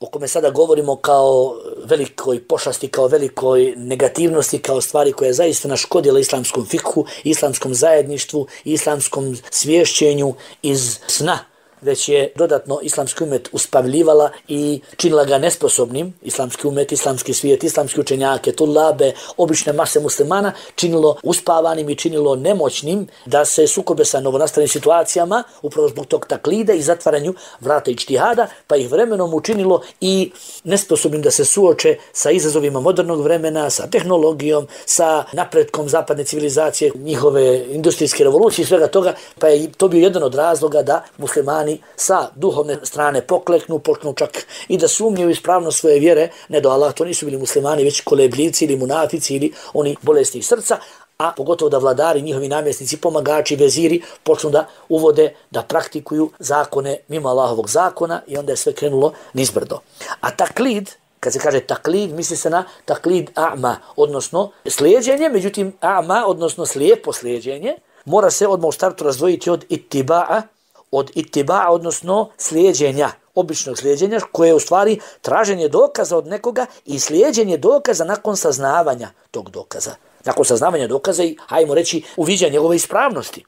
[SPEAKER 1] o kome sada govorimo kao velikoj pošasti, kao velikoj negativnosti, kao stvari koja je zaista naškodila islamskom fikhu, islamskom zajedništvu, islamskom svješćenju iz sna, već je dodatno islamski umet uspavljivala i činila ga nesposobnim, islamski umet, islamski svijet, islamski učenjake, tulabe, obične mase muslimana, činilo uspavanim i činilo nemoćnim da se sukobe sa novonastalim situacijama, upravo zbog tog taklida i zatvaranju vrata ičtihada, pa ih vremenom učinilo i nesposobnim da se suoče sa izazovima modernog vremena, sa tehnologijom, sa napretkom zapadne civilizacije, njihove industrijske revolucije i svega toga, pa je to bio jedan od razloga da muslimani sa duhovne strane pokleknu, počnu čak i da sumnjaju ispravnost svoje vjere, ne do Allah, to nisu bili muslimani, već kolebljivci ili munafici ili oni bolesnih srca, a pogotovo da vladari, njihovi namjesnici, pomagači, veziri počnu da uvode, da praktikuju zakone mimo Allahovog zakona i onda je sve krenulo nizbrdo. A taklid, kad se kaže taklid, misli se na taklid a'ma, odnosno slijeđenje, međutim a'ma, odnosno slijepo slijeđenje, mora se odmah u startu razdvojiti od ittiba'a, od ittiba'a, odnosno slijeđenja, običnog slijeđenja, koje je u stvari traženje dokaza od nekoga i slijeđenje dokaza nakon saznavanja tog dokaza. Nakon saznavanja dokaza i, hajmo reći, uviđanja njegove ispravnosti.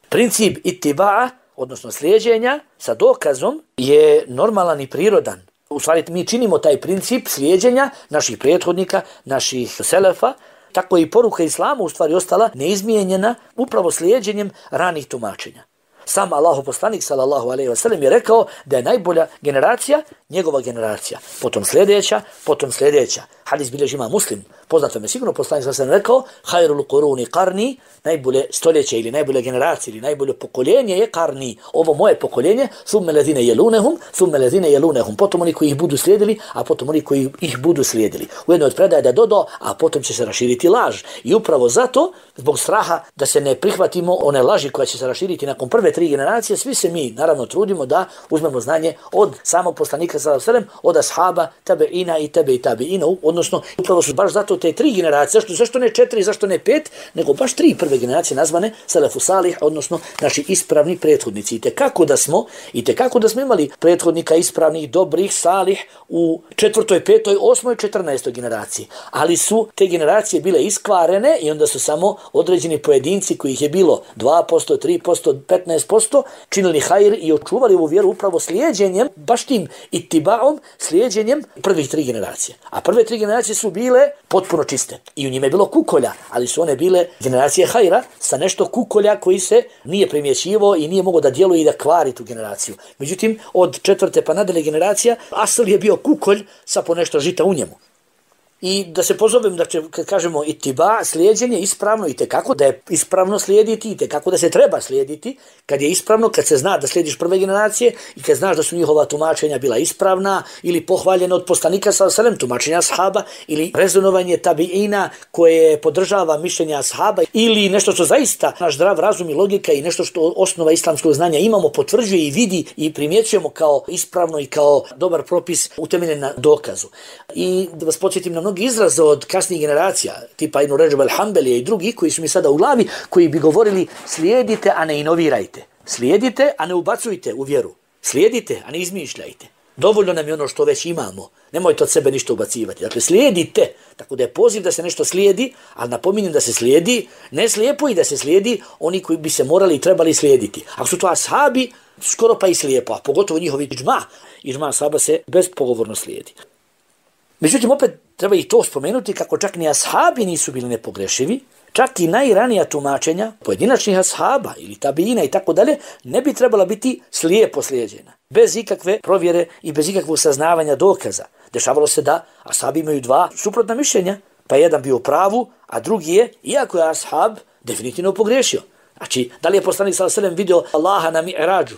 [SPEAKER 1] Princip ittiba'a, odnosno slijeđenja sa dokazom, je normalan i prirodan. U stvari mi činimo taj princip slijeđenja naših prethodnika, naših selefa, tako je i poruka islamu u stvari ostala neizmijenjena upravo slijeđenjem ranih tumačenja. Sam Allahov poslanik sallallahu alejhi ve sellem je rekao da je najbolja generacija njegova generacija, potom sljedeća, potom sljedeća. Hadis bilježi ima Muslim. Poznato me sigurno poslanik sallallahu alejhi ve sellem rekao: "Hayrul quruni qarni", najbolje stoljeće ili najbolja generacija ili najbolje pokoljenje je qarni, ovo moje pokoljenje, thumma alladhina yalunhum, thumma alladhina yalunhum, potom oni koji ih budu slijedili, a potom oni koji ih budu slijedili. U jednoj od predaja da dodo, a potom će se raširiti laž. I upravo zato, zbog straha da se ne prihvatimo one laži koja će se raširiti nakon prve tri generacije, svi se mi naravno trudimo da uzmemo znanje od samog poslanika sallallahu alejhi ve sellem, od ashaba, tabeina i tebe i tabeina, odnosno upravo su baš zato te tri generacije, zašto, zašto ne četiri, zašto ne pet, nego baš tri prve generacije nazvane selefu salih, odnosno naši ispravni prethodnici. I tekako da smo, i tekako da smo imali prethodnika ispravnih, dobrih, salih u četvrtoj, petoj, osmoj, četrnaestoj generaciji. Ali su te generacije bile iskvarene i onda su samo određeni pojedinci kojih je bilo dva posto, tri posto, petnaest posto činili hajr i očuvali ovu vjeru upravo slijedjenjem, baš tim ittibaom, slijedjenjem prvih tri generacije. A prve tri generacije su bile potpuno čiste. I u njima je bilo kukolja, ali su one bile generacije hajra sa nešto kukolja koji se nije primjećivo i nije mogao da djeluje i da kvari tu generaciju. Međutim, od četvrte pa nadalje generacija, asl je bio kukolj sa po nešto žita u njemu. I da se pozovem, da će, kad kažemo ittiba, slijedjenje ispravno i tekako da je ispravno slijediti i tekako da se treba slijediti, kad je ispravno, kad se zna da slijediš prve generacije i kad znaš da su njihova tumačenja bila ispravna ili pohvaljena od poslanika sallallahu alejhi ve sellem, tumačenja ashaba ili rezonovanje tabiina koje podržava mišljenja ashaba ili nešto što zaista naš zdrav razum i logika i nešto što osnova islamskog znanja imamo, potvrđuje i vidi i primjećujemo kao ispravno i kao dobar propis utemeljen na dokazu. I da vas podsjetim na mnogi izraze od kasnijih generacija, tipa Ibn Ređab al-Hanbelija i drugi koji su mi sada u glavi, koji bi govorili slijedite, a ne inovirajte. Slijedite, a ne ubacujte u vjeru. Slijedite, a ne izmišljajte. Dovoljno nam je ono što već imamo. Nemojte od sebe ništa ubacivati. Dakle, slijedite. Tako da je poziv da se nešto slijedi, ali napominjem da se slijedi, ne slijepo i da se slijedi oni koji bi se morali i trebali slijediti. Ako su to ashabi, skoro pa i slijepo, a pogotovo njihovi iđma. Iđma ashaba se bezpogovorno slijedi. Međutim, opet treba i to spomenuti kako čak ni ashabi nisu bili nepogrešivi, čak i najranija tumačenja pojedinačnih ashaba ili tabiina i tako dalje ne bi trebala biti slijepo slijeđena, bez ikakve provjere i bez ikakvog saznavanja dokaza. Dešavalo se da ashabi imaju dva suprotna mišljenja, pa jedan bio u pravu, a drugi je, iako je ashab, definitivno pogrešio. Znači, da li je poslanik sallallahu alejhi ve sellem vidio Allaha na mi'rađu?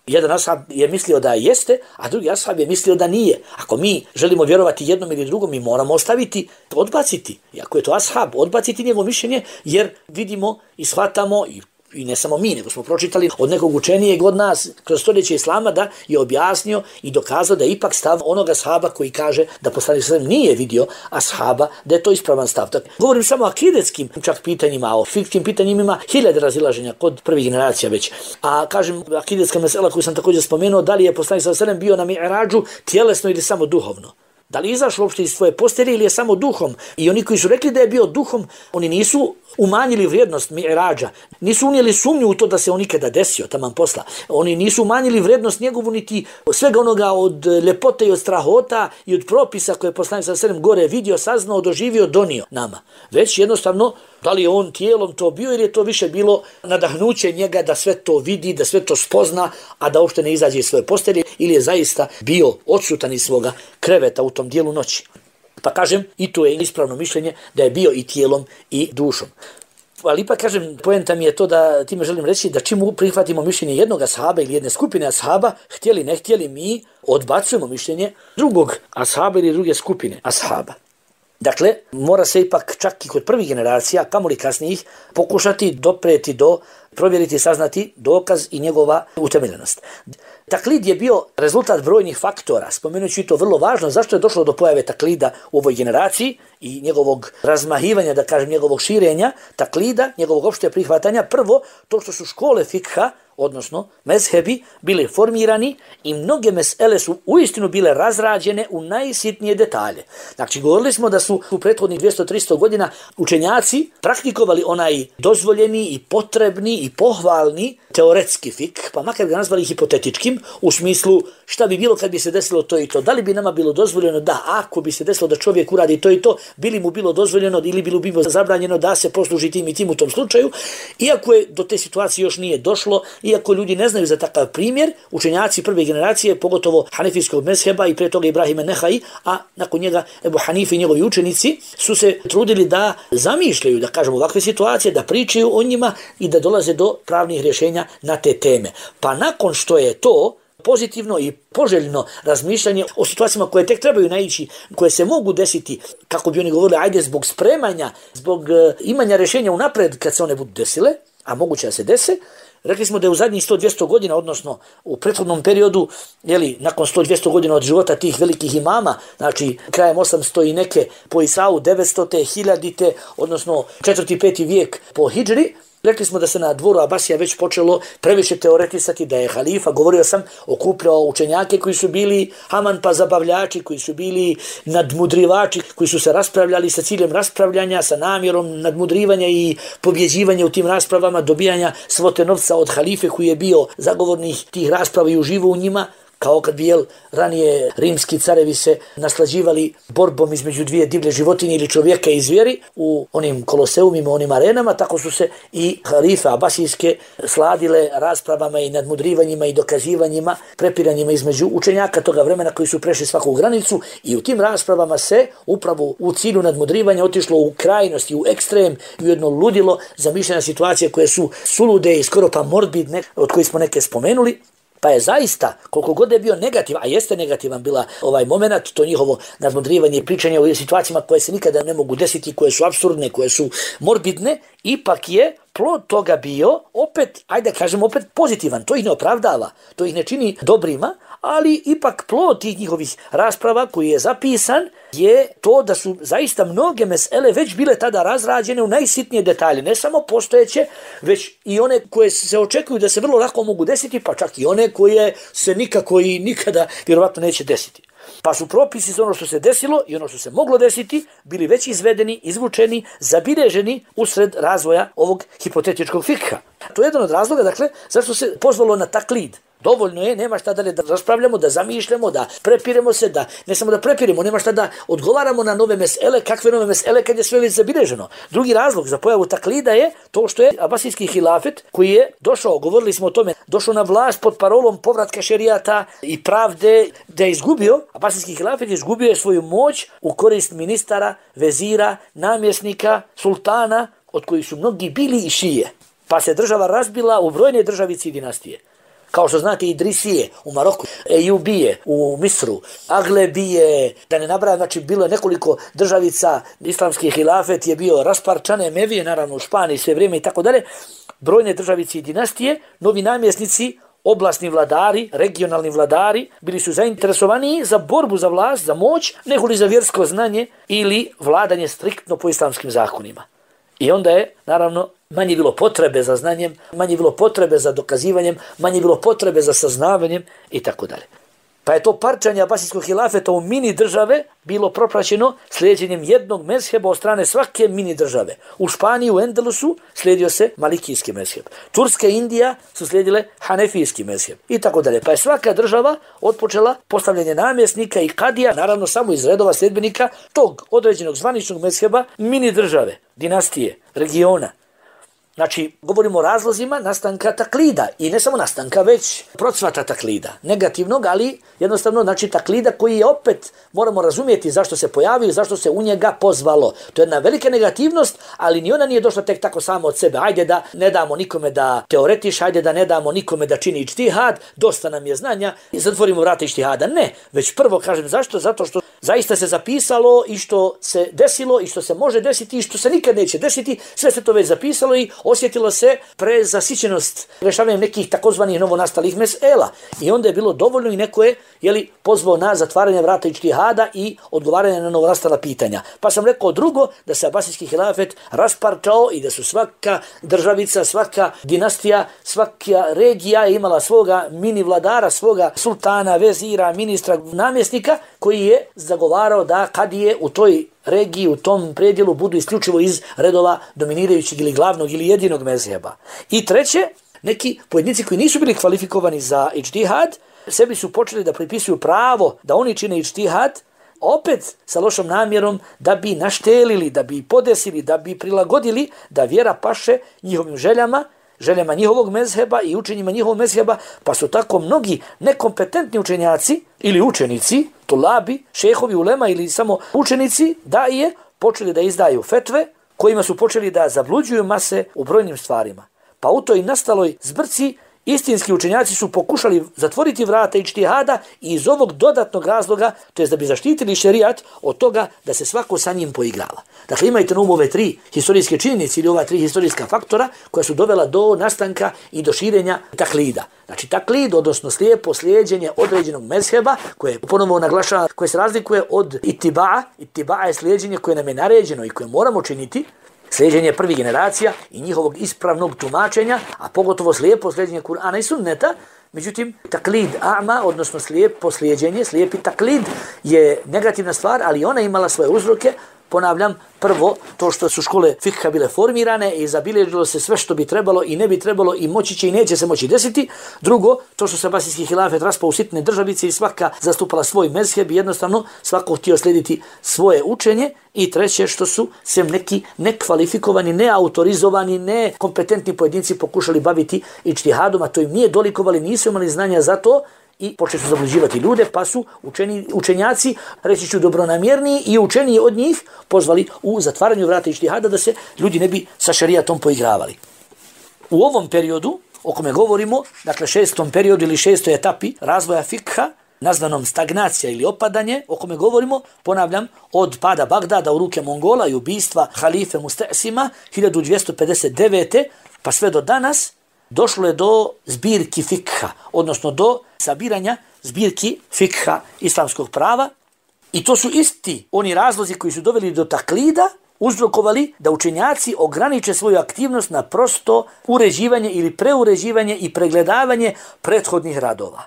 [SPEAKER 1] Jedan ashab je mislio da jeste, a drugi ashab je mislio da nije. Ako mi želimo vjerovati jednom ili drugom, mi moramo ostaviti, odbaciti. I ako je to ashab, odbaciti njegovo mišljenje, jer vidimo i shvatamo, i, i ne samo mi, nego smo pročitali od nekog učenijeg od nas kroz stoljeće islama da je objasnio i dokazao da je ipak stav onoga ashaba koji kaže da poslanik sallallahu alejhi ve sellem nije vidio ashaba, da je to ispravan stav. Tako, govorim samo o akidetskim čak pitanjima, a o fikskim pitanjima ima hiljade razilaženja kod prvih generacija već. A kažem, akidetska mesela koju sam također spomenuo, da li je poslanik sallallahu alejhi ve sellem bio na mi'rađu tjelesno ili samo duhovno. Da li je izašao uopšte iz svoje postelje ili je samo duhom? I oni koji su rekli da je bio duhom, oni nisu umanjili vrijednost mi'rađa, nisu unijeli sumnju u to da se on nikada desio, taman posla. Oni nisu umanjili vrijednost njegovu niti svega onoga od ljepote i od strahota i od propisa koje je poslanik sallallahu alejhi ve sellem gore vidio, saznao, doživio, donio nama. Već jednostavno, da li je on tijelom to bio ili je to više bilo nadahnuće njega da sve to vidi, da sve to spozna, a da uopšte ne izađe iz svoje postelje, ili je zaista bio odsutan iz svoga kreveta u tom dijelu noći. Pa kažem, i to je ispravno mišljenje da je bio i tijelom i dušom. Ali ipak kažem, poenta mi je to da time želim reći da čim prihvatimo mišljenje jednog ashaba ili jedne skupine ashaba, htjeli ne htjeli, mi odbacujemo mišljenje drugog ashaba ili druge skupine ashaba. Dakle, mora se ipak čak i kod prvih generacija, kamoli kasnijih, pokušati dopreti do, provjeriti, saznati dokaz i njegova utemeljenost. Taklid je bio rezultat brojnih faktora, spomenući to vrlo važno, zašto je došlo do pojave taklida u ovoj generaciji i njegovog razmahivanja, da kažem, njegovog širenja, taklida, njegovog opšte prihvatanja. Prvo, to što su škole fikha, odnosno mezhebi, bile formirani i mnoge mesele su uistinu bile razrađene u najsitnije detalje. Znači, govorili smo da su u prethodnih dvjesto do tristo godina učenjaci praktikovali onaj dozvoljeni i potrebni i pohvalni teoretski fik, pa makar ga nazvali hipotetičkim, u smislu šta bi bilo kad bi se desilo to i to. Da li bi nama bilo dozvoljeno da ako bi se desilo da čovjek uradi to i to, bili mu bilo dozvoljeno ili bilo bi bilo zabranjeno da se posluži tim i tim u tom slučaju. Iako je do te situacije još nije došlo, iako ljudi ne znaju za takav primjer, učenjaci prve generacije, pogotovo hanefijskog mezheba i pre toga Ibrahima Nehai, a nakon njega Ebu Hanife i njegovi učenici, su se trudili da zamišljaju, da kažemo, ovakve situacije, da pričaju o njima i da dolaze do pravnih rješenja na te teme. Pa nakon što je to pozitivno i poželjno razmišljanje o situacijama koje tek trebaju naići, koje se mogu desiti, kako bi oni govorili, ajde zbog spremanja, zbog uh, imanja rješenja unapred kad se one budu desile, a moguće da se dese. Rekli smo da je u zadnjih sto do dvjesto godina, odnosno u prethodnom periodu, jeli, nakon sto do dvjesto godina od života tih velikih imama, znači krajem osamsto i neke po Isau, devetsto, hiljadite, odnosno četvrti peti vijek po hidžri, rekli smo da se na dvoru Abasija već počelo previše teoretisati, da je halifa, govorio sam, okupljao učenjake koji su bili haman pa zabavljači, koji su bili nadmudrivači, koji su se raspravljali sa ciljem raspravljanja, sa namjerom nadmudrivanja i pobjeđivanja u tim raspravama, dobijanja svote novca od halife koji je bio zagovornik tih rasprava i uživo u njima, kao kad bi jel, ranije rimski carevi se naslađivali borbom između dvije divlje životinje ili čovjeka i zvijeri u onim koloseumima, onim arenama, tako su se i halife abasijske sladile raspravama i nadmudrivanjima i dokazivanjima, prepiranjima između učenjaka toga vremena koji su prešli svaku granicu i u tim raspravama se upravo u cilju nadmudrivanja otišlo u krajnosti, u ekstrem i u jedno ludilo zamišljena situacije koje su sulude i skoro pa morbidne, od kojih smo neke spomenuli. Pa je zaista, koliko god je bio negativan, a jeste negativan bila ovaj moment, to njihovo nadmudrivanje i pričanje o situacijama koje se nikada ne mogu desiti, koje su apsurdne, koje su morbidne, ipak je plod toga bio opet, ajde kažemo opet pozitivan. To ih ne opravdava, to ih ne čini dobrima, ali ipak plod tih njihovih rasprava koji je zapisan je to da su zaista mnoge mesele već bile tada razrađene u najsitnije detalje, ne samo postojeće, već i one koje se očekuju da se vrlo lako mogu desiti, pa čak i one koje se nikako i nikada vjerovatno neće desiti. Pa su propisi za ono što se desilo i ono što se moglo desiti bili već izvedeni, izvučeni, zabilježeni usred razvoja ovog hipotetičkog fikha. To je jedan od razloga, dakle, zašto se pozvalo na taklid. Dovoljno je, nema šta dalje da raspravljamo, da zamišljamo, da prepiremo se, da ne samo da prepiremo, nema šta da odgovaramo na nove mesele, kakve nove mesele kad je sve već zabilježeno. Drugi razlog za pojavu taklida je to što je abasijski hilafet koji je došao, govorili smo o tome, došao na vlast pod parolom povratka šerijata i pravde, da je izgubio, abasijski hilafet je izgubio svoju moć u korist ministara, vezira, namjesnika, sultana, od kojih su mnogi bili i šije. Pa se država razbila u brojne državice i dinastije. Kao što znate, Idrisije u Maroku, Ejubije u Misru, Aglebije, da ne nabrajam, znači bilo je nekoliko državica, islamski hilafet je bio rasparčan, Emevije, naravno u Španiji sve vrijeme i tako dalje, brojne državice i dinastije, novi namjesnici, oblasni vladari, regionalni vladari, bili su zainteresovaniji za borbu za vlast, za moć, nego li za vjersko znanje ili vladanje striktno po islamskim zakonima. I onda je, naravno, manje bilo potrebe za znanjem, manje bilo potrebe za dokazivanjem, manje bilo potrebe za saznavanjem i tako dalje. Pa je to parčanje abasijskog hilafeta u mini države bilo propraćeno slijedjenjem jednog mezheba od strane svake mini države. U Španiji, u Endelusu, slijedio se malikijski mezheb. Turska i Indija su slijedile hanefijski mezheb i tako dalje. Pa je svaka država otpočela postavljanje namjesnika i kadija, naravno samo iz redova sljedbenika tog određenog zvaničnog mezheba mini države, dinastije, regiona. Znači, govorimo o razlozima nastanka taklida i ne samo nastanka, već procvata taklida. Negativnog, ali jednostavno znači taklida koji je opet, moramo razumjeti zašto se pojavio i zašto se u njega pozvalo. To je jedna velika negativnost, ali ni ona nije došla tek tako samo od sebe. Ajde da ne damo nikome da teoretiš, ajde da ne damo nikome da čini ištihad, dosta nam je znanja i zatvorimo vrata ištihada. Ne, već prvo kažem zašto? Zato što zaista se zapisalo i što se desilo i što se može desiti i što se nikad neće desiti, sve se to već zapisalo i osjetilo se prezasićenost rešavanjem nekih takozvanih novonastalih mesela. I onda je bilo dovoljno i neko je jeli, pozvao na zatvaranje vrata ičtihada i odgovaranje na novonastala pitanja. Pa sam rekao drugo, da se abasijski hilafet rasparčao i da su svaka državica, svaka dinastija, svaka regija imala svoga mini vladara, svoga sultana, vezira, ministra, namjesnika koji je zagovarao da kadije u toj regiji, u tom predjelu budu isključivo iz redova dominirajućeg ili glavnog ili jedinog mezheba. I treće, neki pojedinci koji nisu bili kvalifikovani za ičtihad, sebi su počeli da pripisuju pravo da oni čine ičtihad, opet sa lošom namjerom da bi naštelili, da bi podesili, da bi prilagodili da vjera paše njihovim željama, željama njihovog mezheba i učenjima njihovog mezheba, pa su tako mnogi nekompetentni učenjaci ili učenici, tulabi, šehovi, ulema ili samo učenici, da je počeli da izdaju fetve kojima su počeli da zabluđuju mase u brojnim stvarima. Pa u toj nastaloj zbrci istinski učenjaci su pokušali zatvoriti vrata ičtihada i iz ovog dodatnog razloga, to je da bi zaštitili šerijat od toga da se svako sa njim poigrava. Dakle, imajte na umu ove tri historijske činjenice ili ova tri historijska faktora koja su dovela do nastanka i do širenja taklida. Znači, taklid, odnosno slijepo slijeđenje određenog mezheba, koje ponovo naglašava, koje se razlikuje od itiba'a. Itiba'a je slijeđenje koje nam je naređeno i koje moramo činiti, slijeđenje prvih generacija i njihovog ispravnog tumačenja, a pogotovo slijepo slijeđenje Kur'ana i sunneta. Međutim, taklid a'ma, odnosno slijepo slijeđenje, slijepi taklid je negativna stvar, ali ona imala svoje uzroke. Ponavljam, prvo, to što su škole fikha bile formirane i zabilježilo se sve što bi trebalo i ne bi trebalo i moći će i neće se moći desiti. Drugo, to što se abasijski hilafet raspao u sitne državice i svaka zastupala svoj mezheb i jednostavno svako htio slijediti svoje učenje. I treće, što su se neki nekvalifikovani, neautorizovani, nekompetentni pojedinci pokušali baviti ičtihadom, a to im nije dolikovali, nisu imali znanja za to, i počeli su zabluđivati ljude, pa su učeni, učenjaci, reći ću dobronamjerniji i učeniji od njih, pozvali u zatvaranju vrata ičtihada da se ljudi ne bi sa šerijatom poigravali. U ovom periodu, o kome govorimo, dakle šestom periodu ili šestoj etapi razvoja fikha, nazvanom stagnacija ili opadanje, o kome govorimo, ponavljam, od pada Bagdada u ruke Mongola i ubistva halife Musta'sima hiljadu dvjesto pedeset devete pa sve do danas, došlo je do zbirki fikha, odnosno do sabiranja zbirki fikha islamskog prava. I to su isti oni razlozi koji su doveli do taklida, uzrokovali da učenjaci ograniče svoju aktivnost na prosto uređivanje ili preuređivanje i pregledavanje prethodnih radova.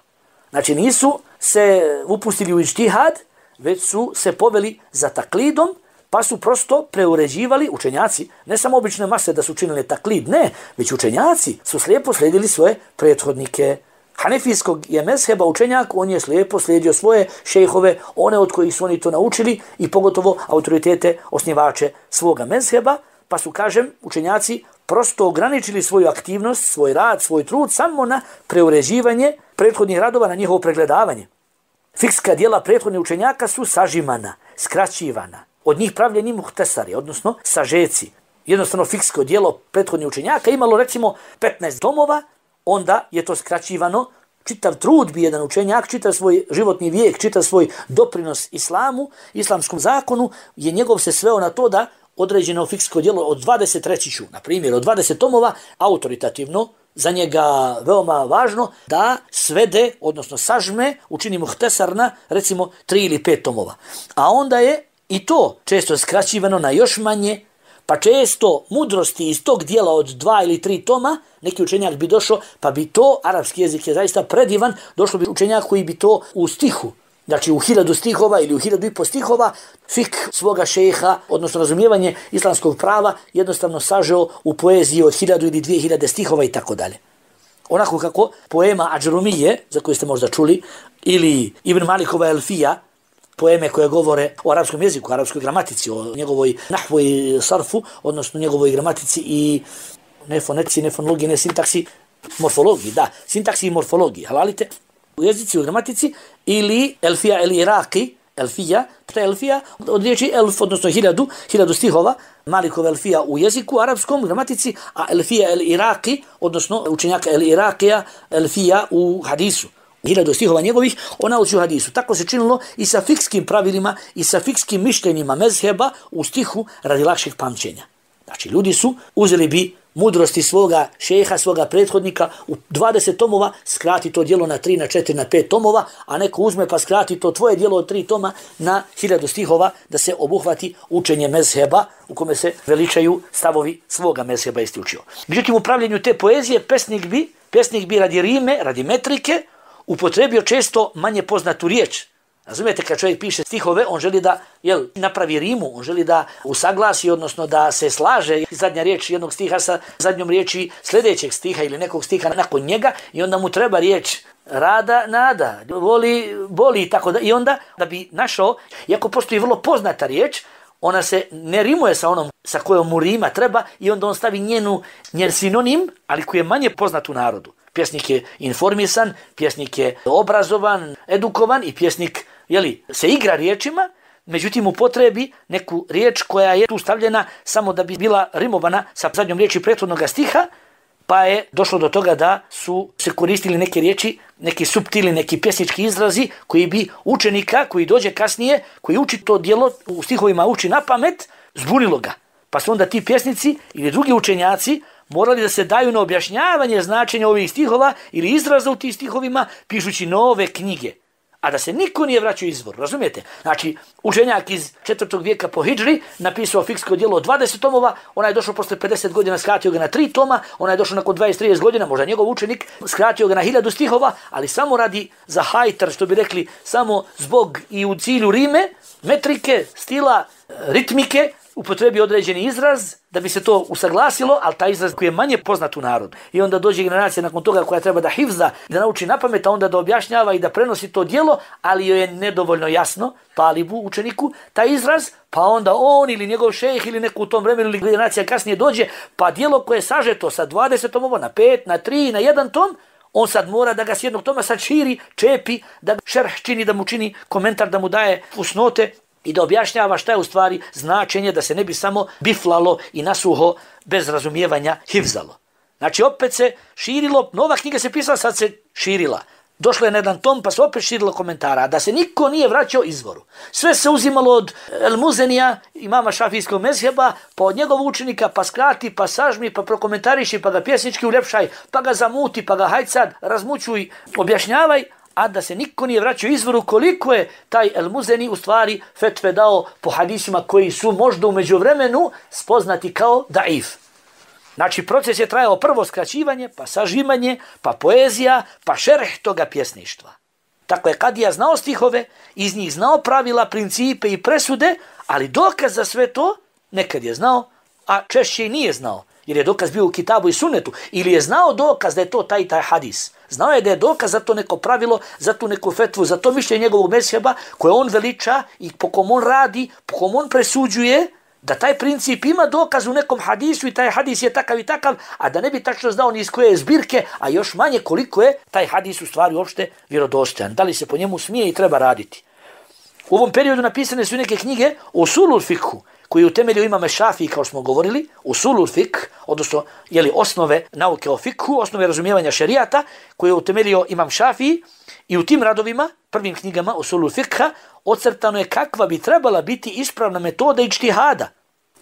[SPEAKER 1] Znači nisu se upustili u ičtihad, već su se poveli za taklidom, pa su prosto preuređivali učenjaci, ne samo obične mase da su činili taklid, ne, već učenjaci su slijepo slijedili svoje prethodnike. Hanefijskog je mezheba učenjak, on je slijepo slijedio svoje šejhove, one od kojih su oni to naučili i pogotovo autoritete, osnivače svoga mezheba, pa su, kažem, učenjaci prosto ograničili svoju aktivnost, svoj rad, svoj trud samo na preuređivanje prethodnih radova, na njihovo pregledavanje. Fikska dijela prethodnih učenjaka su sažimana, skraćivana, od njih pravljeni muhtesari, odnosno sažeci. Jednostavno fiksko dijelo prethodnih učenjaka imalo recimo petnaest tomova, onda je to skraćivano. Čitav trud bi jedan učenjak, čitav svoj životni vijek, čitav svoj doprinos islamu, islamskom zakonu, je njegov se sveo na to da određeno fiksko dijelo od dvadeset, reći ću, na primjer, od dvadeset tomova, autoritativno, za njega veoma važno, da svede, odnosno sažme, učini muhtesar na, recimo, tri ili pet tomova. A onda je i to često skraćivano na još manje, pa često mudrosti iz tog dijela od dva ili tri toma, neki učenjak bi došao, pa bi to, arapski jezik je zaista predivan, došlo bi učenjak koji bi to u stihu, znači u hiljadu stihova ili u hiljadu i po stihova, fik svoga šeha, odnosno razumijevanje islamskog prava, jednostavno sažeo u poeziji od hiljadu ili dvije hiljade stihova i tako dalje. Onako kako poema Adžrumije, za koju ste možda čuli, ili Ibn Malikova Elfija, poeme koje govore o arapskom jeziku, o arapskoj gramatici, o njegovoj nahvu i sarfu, odnosno njegovoj gramatici i ne fonetici, ne fonologiji, ne sintaksi, morfologiji, da, sintaksi i morfologiji, halalite, u jezici, u gramatici, ili Elfija el Iraqi, Elfija, to je Elfija, od riječi elf, odnosno hiljadu, hiljadu stihova, Malikova Elfija u jeziku, arapskom, gramatici, a Elfija el Iraqi, odnosno učenjaka el Iraqija, Elfija u hadisu, hiljadu stihova njegovih, on nauči u hadisu. Tako se činilo i sa fikskim pravilima i sa fikskim mišljenjima mezheba u stihu radi lakšeg pamćenja. Znači, ljudi su uzeli bi mudrosti svoga šeha, svoga prethodnika u dvadeset tomova, skrati to djelo na tri, na četiri, na pet tomova, a neko uzme pa skrati to tvoje djelo od tri toma na hiljadu stihova da se obuhvati učenje mezheba u kome se veličaju stavovi svoga mezheba isti učio. Međutim, u pravljenju te poezije pesnik bi, pesnik bi radi rime, radi metrike, upotrebio često manje poznatu riječ. Razumijete, kad čovjek piše stihove, on želi da jel, napravi rimu, on želi da usaglasi, odnosno da se slaže zadnja riječ jednog stiha sa zadnjom riječi sljedećeg stiha ili nekog stiha nakon njega i onda mu treba riječ rada, nada, voli, boli i tako da. I onda da bi našao, iako postoji vrlo poznata riječ, ona se ne rimuje sa onom sa kojom mu rima treba i onda on stavi njenu, njen sinonim, ali koji je manje poznat u narodu. Pjesnik je informisan, pjesnik je obrazovan, edukovan i pjesnik jeli, se igra riječima, međutim upotrebi neku riječ koja je tu stavljena samo da bi bila rimovana sa zadnjom riječi prethodnog stiha, pa je došlo do toga da su se koristili neke riječi, neki suptili, neki pjesnički izrazi koji bi učenika koji dođe kasnije, koji uči to djelo, u stihovima uči na pamet, zbunilo ga. Pa su onda ti pjesnici ili drugi učenjaci morali da se daju na objašnjavanje značenja ovih stihova ili izraza u tih stihovima pišući nove knjige. A da se niko nije vraćao izvor, razumijete? Znači, učenjak iz četvrtog vijeka po hidžri napisao fiksko djelo od dvadeset tomova, ona je došao posle pedeset godina, skratio ga na tri toma, ona je došao nakon dvadeset do trideset godina, možda njegov učenik, skratio ga na hiljadu stihova, ali samo radi za hajtar, što bi rekli, samo zbog i u cilju rime, metrike, stila, ritmike, upotrebi određeni izraz da bi se to usaglasilo, ali taj izraz koji je manje poznat u narodu. I onda dođe generacija nakon toga koja treba da hifza, da nauči napamet, a onda da objašnjava i da prenosi to djelo, ali joj je nedovoljno jasno, talibu, učeniku, taj izraz, pa onda on ili njegov šejh ili neko u tom vremenu ili generacija kasnije dođe, pa djelo koje je sažeto sa dvadeset tomova na pet, na tri, na jedan tom, on sad mora da ga s jednog toma sad širi, čepi, da šerh čini, da mu čini komentar, da mu daje fusnote, i da objašnjava šta je u stvari značenje da se ne bi samo biflalo i nasuho bez razumijevanja hifzalo. Znači opet se širilo, nova knjiga se pisala, sad se širila. Došlo je na jedan tom pa se opet širilo komentara, da se niko nije vraćao izvoru. Sve se uzimalo od El Muzenija, imama šafijskog mezheba, pa od njegovog učenika, pa skrati, pa sažmi, pa prokomentariši, pa ga pjesnički uljepšaj, pa ga zamuti, pa ga hajď sad razmućuj, objašnjavaj, a da se niko nije vraćao izvoru koliko je taj El Muzeni u stvari fetve dao po hadisima koji su možda u međuvremenu spoznati kao daif. Znači proces je trajao prvo skraćivanje, pa sažimanje, pa poezija, pa šerh toga pjesništva. Tako je kadija znao stihove, iz njih znao pravila, principe i presude, ali dokaz za sve to nekad je znao, a češće i nije znao. Jer je dokaz bio u kitabu i sunnetu, ili je znao dokaz da je to taj taj hadis. Znao je da je dokaz za to neko pravilo, za tu neku fetvu, za to mišljenje njegovog mezheba koje on veliča i po kom on radi, po kom on presuđuje, da taj princip ima dokaz u nekom hadisu i taj hadis je takav i takav, a da ne bi tačno znao ni iz koje je zbirke, a još manje koliko je taj hadis u stvari uopšte vjerodostojan. Da li se po njemu smije i treba raditi. U ovom periodu napisane su neke knjige o usulul fikhu, koji u temelju imame Šafiji, kao smo govorili, usulul fikh, odnosno jeli, osnove nauke o fikhu, osnove razumijevanja šerijata, koje je utemeljio imam Šafiji, i u tim radovima, prvim knjigama usulul fikha, ocrtano je kakva bi trebala biti ispravna metoda ijtihada.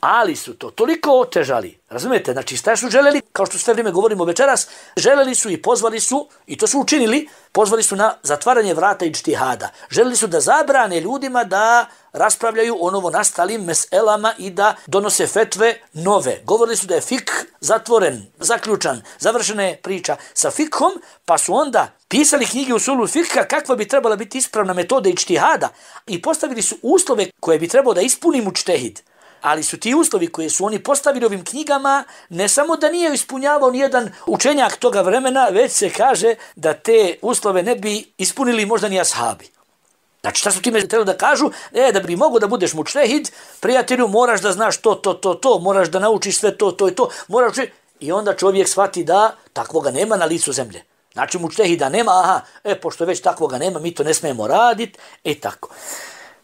[SPEAKER 1] Ali su to toliko otežali, razumijete, znači šta su želeli, kao što sve vrijeme govorimo večeras, želeli su i pozvali su, i to su učinili, pozvali su na zatvaranje vrata ijtihada. Želeli su da zabrane ljudima da raspravljaju o novonastalim meselama i da donose fetve nove. Govorili su da je fik zatvoren, zaključan, završena je priča sa fikhom, pa su onda pisali knjige usulul fikha kakva bi trebala biti ispravna metoda ijtihada i postavili su uslove koje bi trebao da ispuni mučtehid. Ali su ti uslovi koje su oni postavili ovim knjigama ne samo da nije ispunjavao nijedan učenjak toga vremena, već se kaže da te uslove ne bi ispunili možda ni ashabi. Znači šta su time trebali da kažu? E, da bi mogo da budeš mučtehid, prijatelju, moraš da znaš to, to, to, to, moraš da naučiš sve to, to i to. Moraš... I onda čovjek shvati da takvoga nema na licu zemlje. Znači mučtehida nema, aha, e, pošto već takvoga nema, mi to ne smijemo raditi, e tako.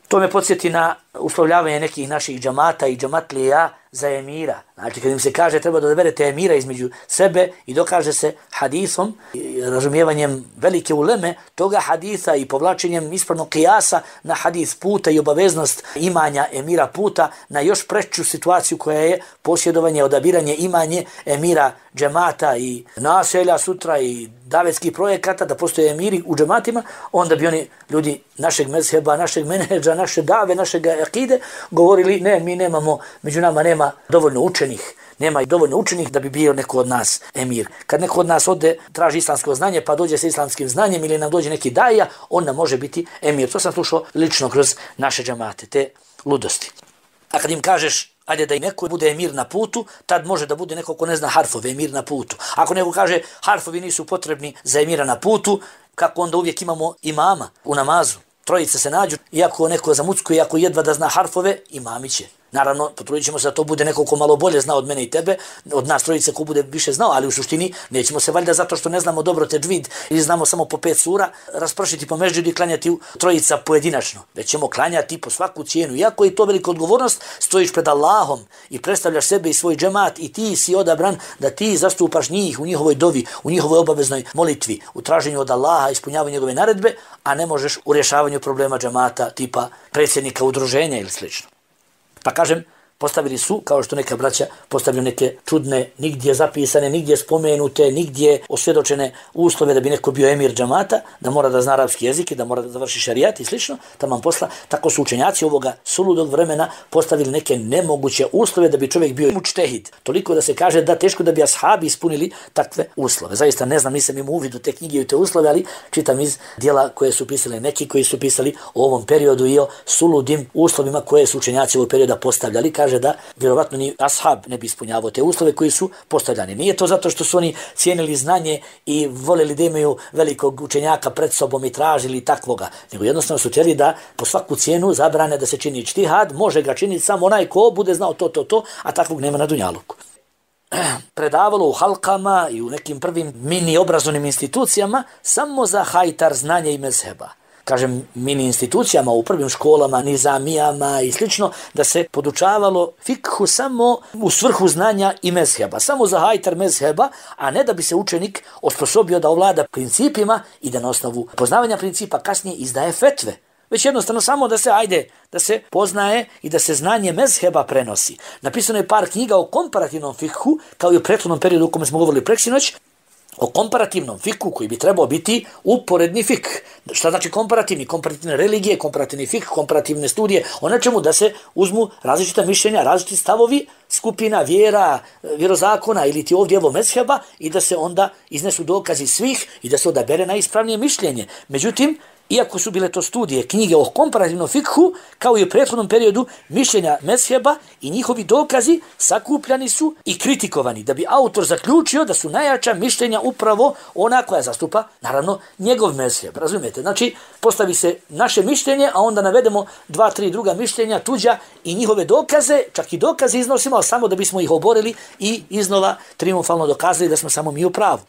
[SPEAKER 1] To me podsjeti na uslovljavanje nekih naših džamata i džamatlija za emira. Znači, kad im se kaže treba da odaberete emira između sebe i dokaže se hadisom, razumijevanjem velike uleme toga hadisa i povlačenjem ispravnog kijasa na hadis puta i obaveznost imanja emira puta na još preču situaciju koja je posjedovanje, odabiranje, imanje emira džemata i naselja sutra i davetskih projekata, da postoje emiri u džematima, onda bi oni ljudi našeg mezheba, našeg menedža, naše dave, našeg akide govorili ne, mi nemamo, među nama nema dovoljno učenih, nema i dovoljno učenih da bi bio neko od nas emir. Kad neko od nas ode, traži islamsko znanje, pa dođe sa islamskim znanjem ili nam dođe neki daja, on nam može biti emir. To sam slušao lično kroz naše džemate, te ludosti. A kad im kažeš, ajde da i neko bude emir na putu, tad može da bude neko ko ne zna harfove, emir na putu. Ako neko kaže harfovi nisu potrebni za emira na putu, kako onda uvijek imamo imama u namazu. Trojice se nađu, iako neko zamuckuje, iako jedva da zna harfove, imami će. Naravno, potrudit ćemo se da to bude neko ko malo bolje zna od mene i tebe, od nas trojice ko bude više znao, ali u suštini nećemo se valjda zato što ne znamo dobro teđvid ili znamo samo po pet sura, raspršiti po mežđidu i klanjati trojica pojedinačno. Već ćemo klanjati po svaku cijenu. Iako je to velika odgovornost, stojiš pred Allahom i predstavljaš sebe i svoj džemat i ti si odabran da ti zastupaš njih u njihovoj dovi, u njihovoj obaveznoj molitvi, u traženju od Allaha, ispunjavanju njegove naredbe, a ne možeš u rješavanju problema džemata tipa predsjednika udruženja ili slično. Pa kažem, postavili su, kao što neka braća postavljaju neke čudne, nigdje zapisane, nigdje spomenute, nigdje osvjedočene uslove da bi neko bio emir džamata, da mora da zna arapski jezik i da mora da završi šarijat i slično, taman posla. Tako su učenjaci ovoga suludog vremena postavili neke nemoguće uslove da bi čovjek bio mučtehid. Toliko da se kaže da teško da bi ashabi ispunili takve uslove. Zaista ne znam, nisam imao uvid u te knjige i u te uslove, ali čitam iz dijela koje su pisali neki koji su pisali o ovom periodu i o suludim uslovima koje su učenjaci ovog perioda postavljali. Kaže da vjerovatno ni ashab ne bi ispunjavao te uslove koji su postavljani. Nije to zato što su oni cijenili znanje i voljeli da imaju velikog učenjaka pred sobom i tražili takvoga, nego jednostavno su htjeli da po svaku cijenu zabrane da se čini ijtihad, može ga činiti samo onaj ko bude znao to, to, to, a takvog nema na dunjaluku. Predavalo u halkama i u nekim prvim mini obrazovnim institucijama samo za hajtar znanja i mezheba. Kažem, mini institucijama u prvim školama, nizamijama i slično, da se podučavalo fikhu samo u svrhu znanja i mezheba, samo za hajtar mezheba, a ne da bi se učenik osposobio da ovlada principima i da na osnovu poznavanja principa kasnije izdaje fetve. Već jednostavno samo da se, ajde, da se poznaje i da se znanje mezheba prenosi. Napisano je par knjiga o komparativnom fikhu, kao i u prethodnom periodu u kome smo govorili preksinoć, o komparativnom fikhu koji bi trebao biti uporedni fik. Šta znači komparativni? Komparativne religije, komparativni fik, komparativne studije, o nečemu da se uzmu različita mišljenja, različiti stavovi skupina, vjera, vjerozakona ili ti ovdje evo mezheba i da se onda iznesu dokazi svih i da se odabere najispravnije mišljenje. Međutim, iako su bile to studije, knjige o komparativnom fikhu, kao i u prethodnom periodu, mišljenja mezheba i njihovi dokazi sakupljani su i kritikovani, da bi autor zaključio da su najjača mišljenja upravo ona koja zastupa, naravno, njegov mezheb. Razumijete? Znači, postavi se naše mišljenje, a onda navedemo dva, tri druga mišljenja, tuđa i njihove dokaze, čak i dokaze iznosimo, ali samo da bismo ih oborili i iznova triumfalno dokazali da smo samo mi u pravu.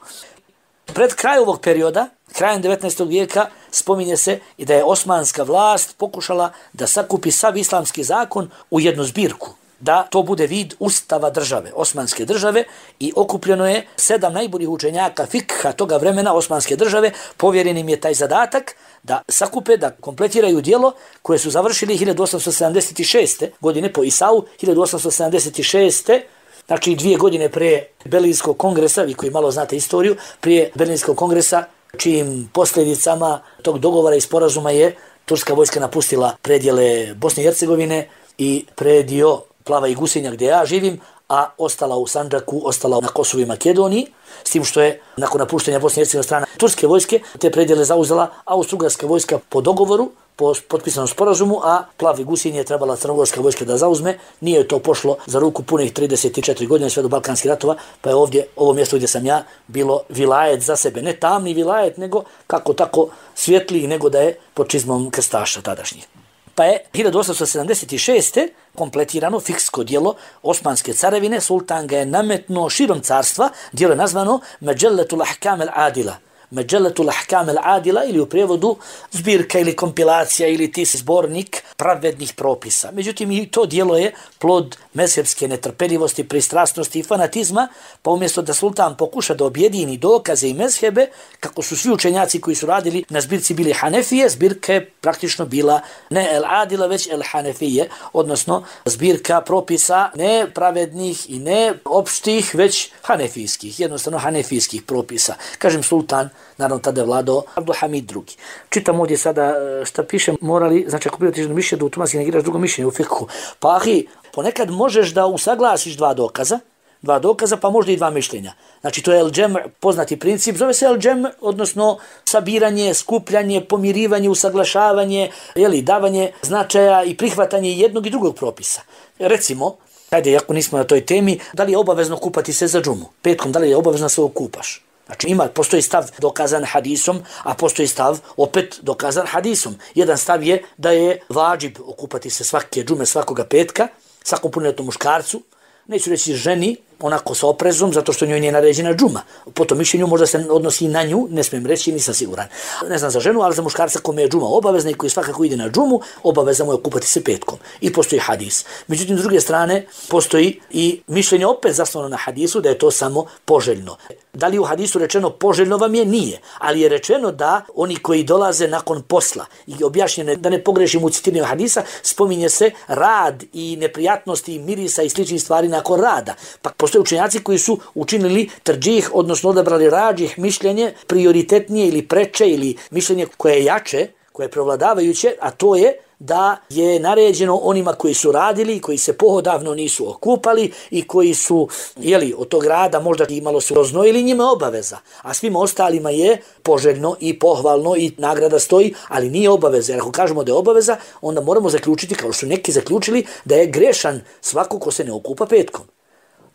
[SPEAKER 1] Pred kraj ovog perioda, krajem devetnaestog vijeka, spominje se i da je osmanska vlast pokušala da sakupi sav islamski zakon u jednu zbirku, da to bude vid ustava države, osmanske države, i okupljeno je sedam najboljih učenjaka fikha toga vremena osmanske države, povjeren im je taj zadatak da sakupe, da kompletiraju djelo koje su završili hiljadu osamsto sedamdeset šeste. godine po Isau, hiljadu osamsto sedamdeset šeste. Znači dvije godine prije Berlinskog kongresa, vi koji malo znate istoriju, prije Berlinskog kongresa, čijim posljedicama tog dogovora i sporazuma je turska vojska napustila predjele Bosne i Hercegovine i predio Plava i Gusenja gdje ja živim, a ostala u Sandžaku, ostala na Kosovu i Makedoniji, s tim što je nakon napuštenja Bosne i Hercegovine strana turske vojske te predjele zauzela Austro-Ugarska vojska po dogovoru, po potpisanom sporazumu, a Plavi Gusinje je trebala crnogorska vojska da zauzme. Nije to pošlo za ruku punih trideset četiri godine sve do Balkanskih ratova, pa je ovdje, ovo mjesto gdje sam ja, bilo vilajet za sebe. Ne tamni vilajet, nego kako tako svjetliji, nego da je pod čizmom krstaša tadašnjih. Pa je hiljadu osamsto sedamdeset šeste. kompletirano fiksko djelo Osmanske carevine, sultan ga je nametnuo širom carstva, djelo je nazvano Međelletul Ahkam el Adila, Mađeletul Ahkam al-Adila ili u prijevodu zbirka ili kompilacija ili ti zbornik pravednih propisa. Međutim, i to djelo je plod mezhebske netrpeljivosti, pristrasnosti i fanatizma, pa umjesto da sultan pokuša da objedini dokaze i mezhebe, kako su svi učenjaci koji su radili na zbirci bili Hanefije, zbirka je praktično bila ne el-Adila, već el-Hanefije, odnosno zbirka propisa ne pravednih i ne opštih, već hanefijskih, jednostavno hanefijskih propisa. Kažem sultan, naravno tada je vladao Abdulhamid drugi. Čitam ovdje sada šta piše, morali, znači ako prijateljiš na mišljenje da automatski negiraš drugo mišljenje u fikhu. Pa ahi, ponekad možeš da usaglasiš dva dokaza, dva dokaza pa možda i dva mišljenja. Znači to je el-džem, poznati princip, zove se el-džem, odnosno sabiranje, skupljanje, pomirivanje, usaglašavanje, jeli, davanje značaja i prihvatanje jednog i drugog propisa. Recimo, ajde, ako nismo na toj temi, da li je obavezno kupati se za džumu? Petkom, da li je obavezno se okupaš? Znači ima, postoji stav dokazan hadisom, a postoji stav opet dokazan hadisom. Jedan stav je da je vađib okupati se svake džume svakoga petka, svakom punoljetnom muškarcu, neću reći ženi, onako sa oprezom, zato što njoj nije naređena džuma. Po tom mišljenju možda se odnosi na nju, ne smijem reći, nisam siguran. Ne znam za ženu, ali za muškarca kome je džuma obavezna i koji svakako ide na džumu, obaveza mu je okupati se petkom. I postoji hadis. Međutim, s druge strane, postoji i mišljenje opet zasnovano na hadisu da je to samo poželjno. Da li u hadisu rečeno poželjno vam je? Nije. Ali je rečeno da oni koji dolaze nakon posla i objašnjene, da ne pogrešim u citiranju hadisa, spominje se rad i neprijatnosti i mirisa i sličnih stvari nakon rada. Pa postoje učenjaci koji su učinili trđih, odnosno odabrali rađih mišljenje, prioritetnije ili preče ili mišljenje koje je jače, koje je prevladavajuće, a to je da je naređeno onima koji su radili, koji se pohodavno nisu okupali i koji su, jeli, od tog rada možda i malo su roznojili, njima obaveza. A svima ostalima je poželjno i pohvalno i nagrada stoji, ali nije obaveza. Jer ako kažemo da je obaveza, onda moramo zaključiti, kao što neki zaključili, da je grešan svako ko se ne okupa petkom.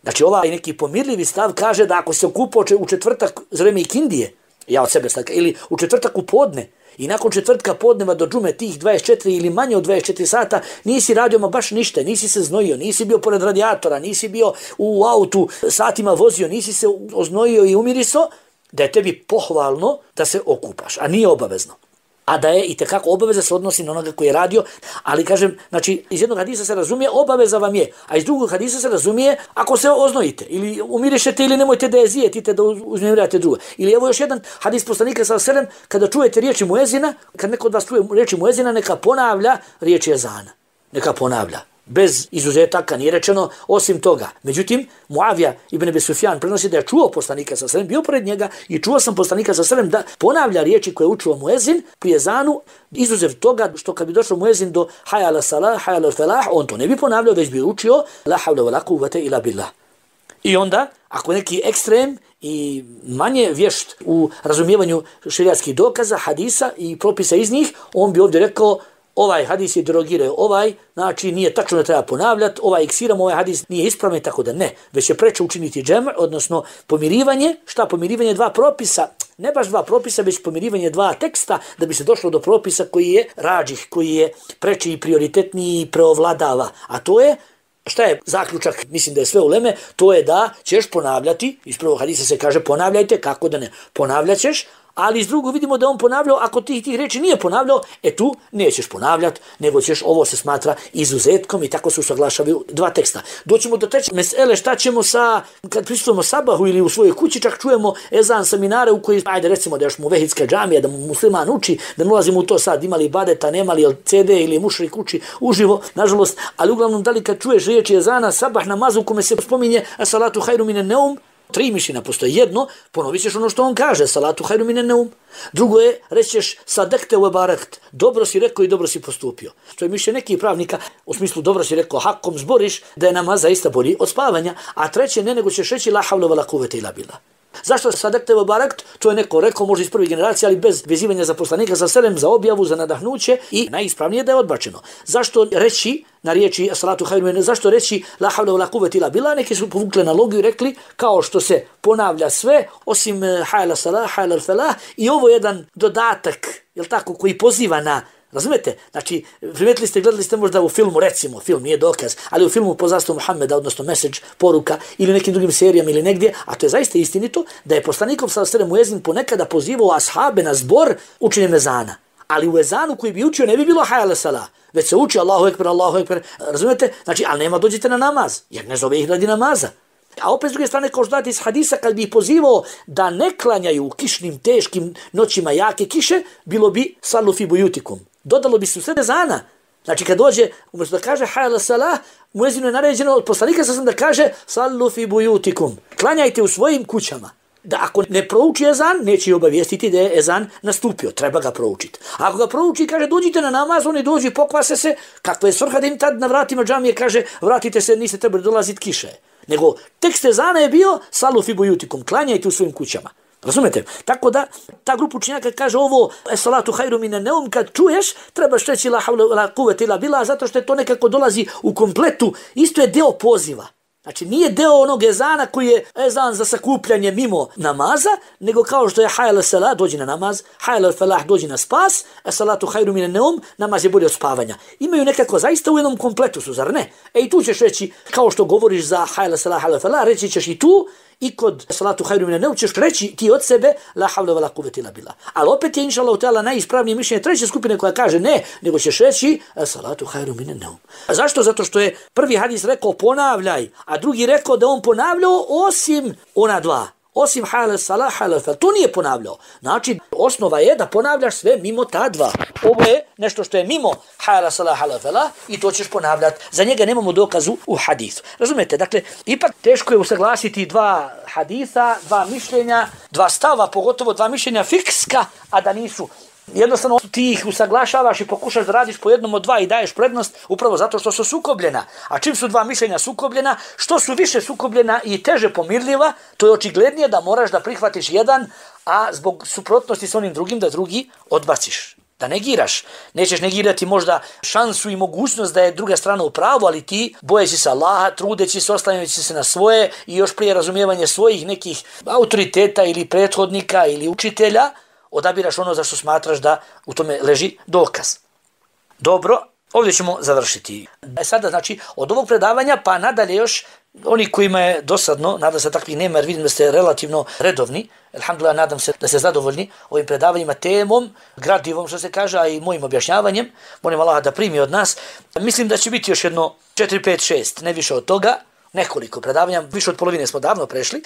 [SPEAKER 1] Znači ovaj neki pomirljivi stav kaže da ako se okupao u četvrtak za vreme ikindije, ja od sebe stavka, ili u četvrtak u podne, i nakon četvrtka podneva do džume tih dvadeset četiri ili manje od dvadeset četiri sata nisi radio ma baš ništa, nisi se znojio, nisi bio pored radijatora, nisi bio u autu satima vozio, nisi se oznojio i umiriso, da je tebi pohvalno da se okupaš, a nije obavezno. A da je i tekako obaveza se odnosi na onoga koji je radio, ali kažem, znači iz jednog hadisa se razumije obaveza vam je, a iz drugog hadisa se razumije ako se oznojite ili umirišete ili nemojte da je zijetite da uznemirate drugo. Ili evo još jedan hadis poslanika sallallahu alejhi ve sellem, kada čujete riječi muezina, kad neko od vas čuje riječi muezina, neka ponavlja riječi ezana. Neka ponavlja. Bez izuzetaka, nije rečeno osim toga. Međutim, Muavija ibn Abi Sufjan prenosi da je čuo poslanika sallallahu alejhi ve sellem, bio pored njega i čuo sam poslanika sallallahu alejhi ve sellem da ponavlja riječi koje je učio muezin pri ezanu, izuzev toga što kad bi došao muezin do hayya ala salah, hayya ala falah, on to ne bi ponavljao, već bi učio la havla wala quwwata illa billah. I onda, ako neki ekstrem i manje vješt u razumijevanju šerijatskih dokaza, hadisa i propisa iz njih, on bi ovdje rekao ovaj hadis je derogirao ovaj, znači nije tačno da treba ponavljati, ovaj iksiram, ovaj hadis nije ispravan, tako da ne, već je preče učiniti džem, odnosno pomirivanje, šta pomirivanje dva propisa, ne baš dva propisa, već pomirivanje dva teksta, da bi se došlo do propisa koji je rađih, koji je preči i prioritetniji i preovladava, a to je, šta je zaključak, mislim da je sve uleme, to je da ćeš ponavljati, iz prvog hadisa se kaže ponavljajte, kako da ne, ponavljat ćeš, ali iz drugog vidimo da on ponavljao, ako tih tih reči nije ponavljao, e tu nećeš ponavljati, nego ćeš, ovo se smatra izuzetkom i tako se usaglašavaju dva teksta. Doćemo do treće mesele, šta ćemo sa, kad pristupimo sabahu ili u svojoj kući, čak čujemo ezan seminare u koji, ajde recimo da još mu vehidska džamija, da mu musliman uči, da ne ulazimo u to sad, imali badeta, nemali ce de ili mušrik uči uživo, nažalost, ali uglavnom da li kad čuješ riječi ezana, sabah namazu u kome se spominje salatu hajru minen neum, tri mišljenja postoje. Jedno, ponovit ćeš ono što on kaže, salatu hajru minen neum. Drugo je, reći ćeš sadekte u ebarekt, dobro si rekao i dobro si postupio. Što je mišljenje nekih pravnika, u smislu dobro si rekao, hakom zboriš, da je namaz zaista bolji od spavanja. A treće, ne nego ćeš reći la havla wala quwwata illa billah. Zašto sadekte u ebarekt? To je neko rekao, možda iz prve generacije, ali bez vezivanja za poslanika, za selem, za objavu, za nadahnuće i najispravnije da je odbačeno. Zašto reći na riječi salatu hajru minen, zašto reći la havla wala quwwata illa billah? Neki su povukli analogiju i rekli kao što se ponavlja sve osim hayya ala salah, hayya ala falah, i ovo je jedan dodatak, jel tako, koji poziva na Razumete? Znači, primetili ste, gledali ste možda u filmu, recimo, film nije dokaz, ali u filmu Poznanstvo Muhammeda, odnosno message, poruka, ili nekim drugim serijama ili negdje, a to je zaista istinito, da je poslanikom sallallahu alejhi ve sellem muezin ponekada pozivao ashabe na zbor učenjem ezana. Ali u ezanu koji bi učio ne bi bilo hayya ala salah, već se uči Allahu ekber, Allahu ekber, razumete? Znači, ali nema dođite na namaz, jer ne zove ih radi namaza. A opet s druge strane, kao što dati iz hadisa, kad bi ih pozivao da ne klanjaju u kišnim, teškim noćima jake kiše, bilo bi sallu fi buyutikum. Dodalo bi se u sred ezana. Znači, kad dođe, umjesto da kaže hayya ala salah, muezinu je naređeno od poslanika sam da kaže sallu fi buyutikum. Klanjajte u svojim kućama. Da ako ne prouči ezan, neće obavijestiti da je ezan nastupio, treba ga proučiti. Ako ga prouči, kaže dođite na namaz, oni dođu, pokvase se, kakva je svrha da im tad na vratima džamije kaže vratite se, niste trebali dolaziti kiše. Nego tekst ezana je bio sallu fi buyutikum, klanjajte u svojim kućama. Razumete? Tako da ta grupa učenjaka kaže ovo es-salatu hajru mine neum, kad čuješ trebaš reći la havla la kuvvete illa billah, zato što je to nekako dolazi u kompletu, isto je deo poziva. Znači nije deo onog ezana koji je ezan za sakupljanje mimo namaza, nego kao što je hayya ala salah, dođi na namaz, hayya ala falah, dođi na spas, es-salatu hajru mine neum, namaz je bolje od spavanja. Imaju nekako zaista u jednom kompletu su, zar ne? E i tu ćeš reći, kao što govoriš za hayya ala salah, hayya ala falah, reći ćeš i tu, i kod salatu hajru mine neum ćeš reći ti od sebe la havla wala kuvvete illa billah. Ali opet je inšallahu ta'ala najispravnije mišljenje treće skupine koja kaže ne, nego ćeš reći salatu hajru mine neum. A zašto? Zato što je prvi hadis rekao ponavljaj, a drugi rekao da on ponavljao osim ona dva. Osim hayya ala salah, hayya ala falah. To nije ponavljao. Znači, osnova je da ponavljaš sve mimo ta dva. Ovo je nešto što je mimo hayya ala salah, hayya ala falah i to ćeš ponavljati. Za njega nemamo dokazu u hadisu. Razumete? Dakle, ipak teško je usaglasiti dva hadisa, dva mišljenja, dva stava, pogotovo dva mišljenja fikska, a da nisu. Jednostavno ti ih usaglašavaš i pokušaš da radiš po jednom od dva i daješ prednost upravo zato što su sukobljena. A čim su dva mišljenja sukobljena, što su više sukobljena i teže pomirljiva, to je očiglednije da moraš da prihvatiš jedan, a zbog suprotnosti s onim drugim da drugi odbaciš. Da negiraš. Nećeš negirati možda šansu i mogućnost da je druga strana u pravu, ali ti bojeći se Allaha, trudeći se, oslanjajući se na svoje i još prije razumijevanje svojih nekih autoriteta ili prethodnika ili učitelja, odabiraš ono za što smatraš da u tome leži dokaz. Dobro, ovdje ćemo završiti. E sada, znači, od ovog predavanja pa nadalje još oni kojima je dosadno, nadam se takvih nema jer vidim da ste relativno redovni, alhamdulillah, nadam se da ste zadovoljni ovim predavanjima, temom, gradivom što se kaže, a i mojim objašnjavanjem. Molim Allaha da primi od nas. Mislim da će biti još jedno četiri, pet, šest, ne više od toga. Nekoliko predavanja, više od polovine smo davno prešli.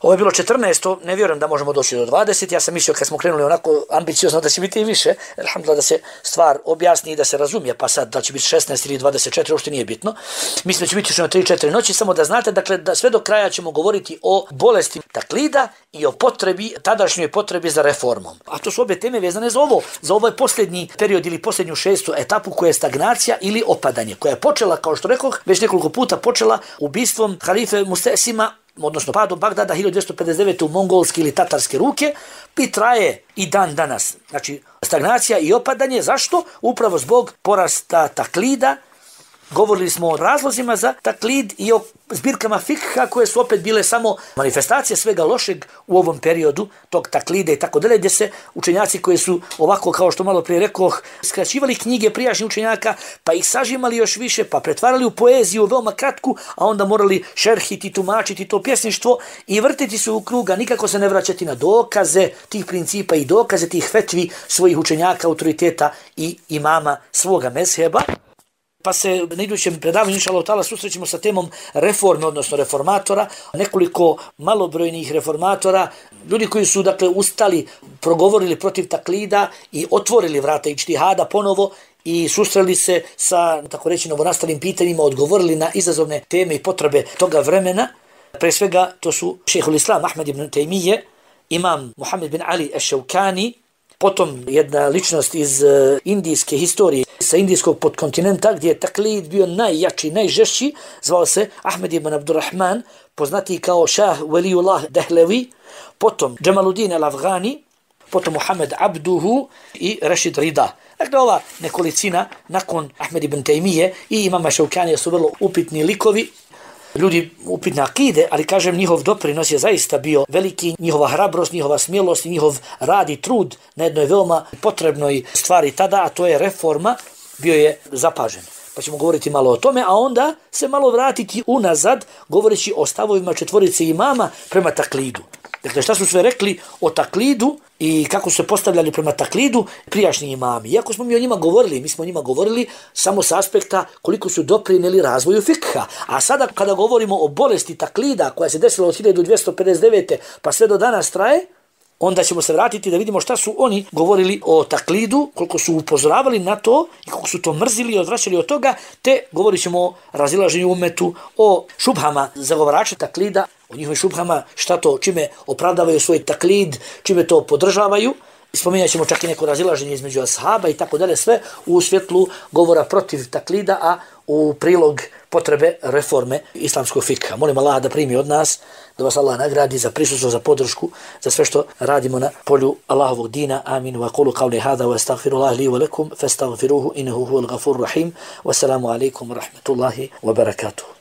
[SPEAKER 1] Ovo je bilo četrnaesto, ne vjerujem da možemo doći do dvadeset. Ja sam mislio kad smo krenuli onako ambiciozno da će biti i više. Alhamdulillah da se stvar objasni i da se razumije, pa sad da će biti šesnaest ili dvadeset četiri, uopšte nije bitno. Mislim da će biti još na tri četiri noći, samo da znate, dakle, da sve do kraja ćemo govoriti o bolesti taklida i o potrebi, tadašnjoj potrebi za reformom. A to su obje teme vezane za ovo, za ovaj posljednji period ili posljednju šestu etapu koja je stagnacija ili opadanje, koja je počela, kao što rekoh, već nekoliko puta počela ubistvom halife Mustesima, odnosno padom Bagdada hiljadu dvjesto pedeset devete u mongolske ili tatarske ruke, i traje i dan danas. Znači, stagnacija i opadanje, zašto? Upravo zbog porasta taklida. Govorili smo o razlozima za taklid i o zbirkama fikha koje su opet bile samo manifestacije svega lošeg u ovom periodu tog taklida i tako dalje, gdje se učenjaci koji su ovako, kao što malo prije rekoh, skraćivali knjige prijašnjih učenjaka, pa ih sažimali još više, pa pretvarali u poeziju veoma kratku, a onda morali šerhiti, tumačiti to pjesništvo i vrtiti se u kruga, nikako se ne vraćati na dokaze tih principa i dokaze tih fetvi svojih učenjaka, autoriteta i imama svoga mezheba. Pa se na idućem predavanju, inšallah ta'ala, susrećemo sa temom reforme, odnosno reformatora, nekoliko malobrojnih reformatora, ljudi koji su, dakle, ustali, progovorili protiv taklida i otvorili vrata ičtihada ponovo i susreli se sa, tako reći, novonastalim pitanjima, odgovorili na izazovne teme i potrebe toga vremena. Pre svega, to su šejhul Islam Ahmed ibn Tejmije, imam Muhammed bin Ali eš-Šaukani, potom jedna ličnost iz uh, indijske historije, sa indijskog podkontinenta, gdje je taklid bio najjači, najžešći, zvao se Ahmed ibn Abdurrahman, poznati kao Šah Waliullah Dehlevi, potom Džemaluddin al-Afghani, potom Muhammed Abduhu i Rashid Rida. Dakle, ova nekolicina nakon Ahmed ibn Tejmije i imama Šaukanija su vrlo upitni likovi. ljudi upitne akide, ali kažem njihov doprinos je zaista bio veliki, njihova hrabrost, njihova smjelost i njihov rad i trud na jednoj veoma potrebnoj stvari tada, a to je reforma, bio je zapažen. Pa ćemo govoriti malo o tome, a onda se malo vratiti unazad, govoreći o stavovima četvorice imama prema taklidu. Dakle, šta su sve rekli o taklidu i kako su se postavljali prema taklidu prijašnji imami. Iako smo mi o njima govorili, mi smo o njima govorili samo s aspekta koliko su doprinijeli razvoju fikha. A sada kada govorimo o bolesti taklida koja se desila od hiljadu dvjesto pedeset devete pa sve do danas traje, onda ćemo se vratiti da vidimo šta su oni govorili o taklidu, koliko su upozoravali na to i koliko su to mrzili i odvraćali od toga, te govorit ćemo o razilaženju umetu, o šubhama zagovarača taklida, o njihovim šubhama, šta to, čime opravdavaju svoj taklid, čime to podržavaju. Spominjat ćemo čak i neko razilaženje između ashaba i tako dalje, sve u svjetlu govora protiv taklida, a u prilog potrebe reforme islamskog fikha. Molim Allah da primi od nas, da vas Allah nagradi za prisustvo, za podršku, za sve što radimo na polju Allahovog dina. Amin. Wa qulu qawli hada wa astaghfirullah li wa lakum fastaghfiruhu innahu huwal ghafurur rahim. Wassalamu alaikum wa rahmatullahi wa barakatuh.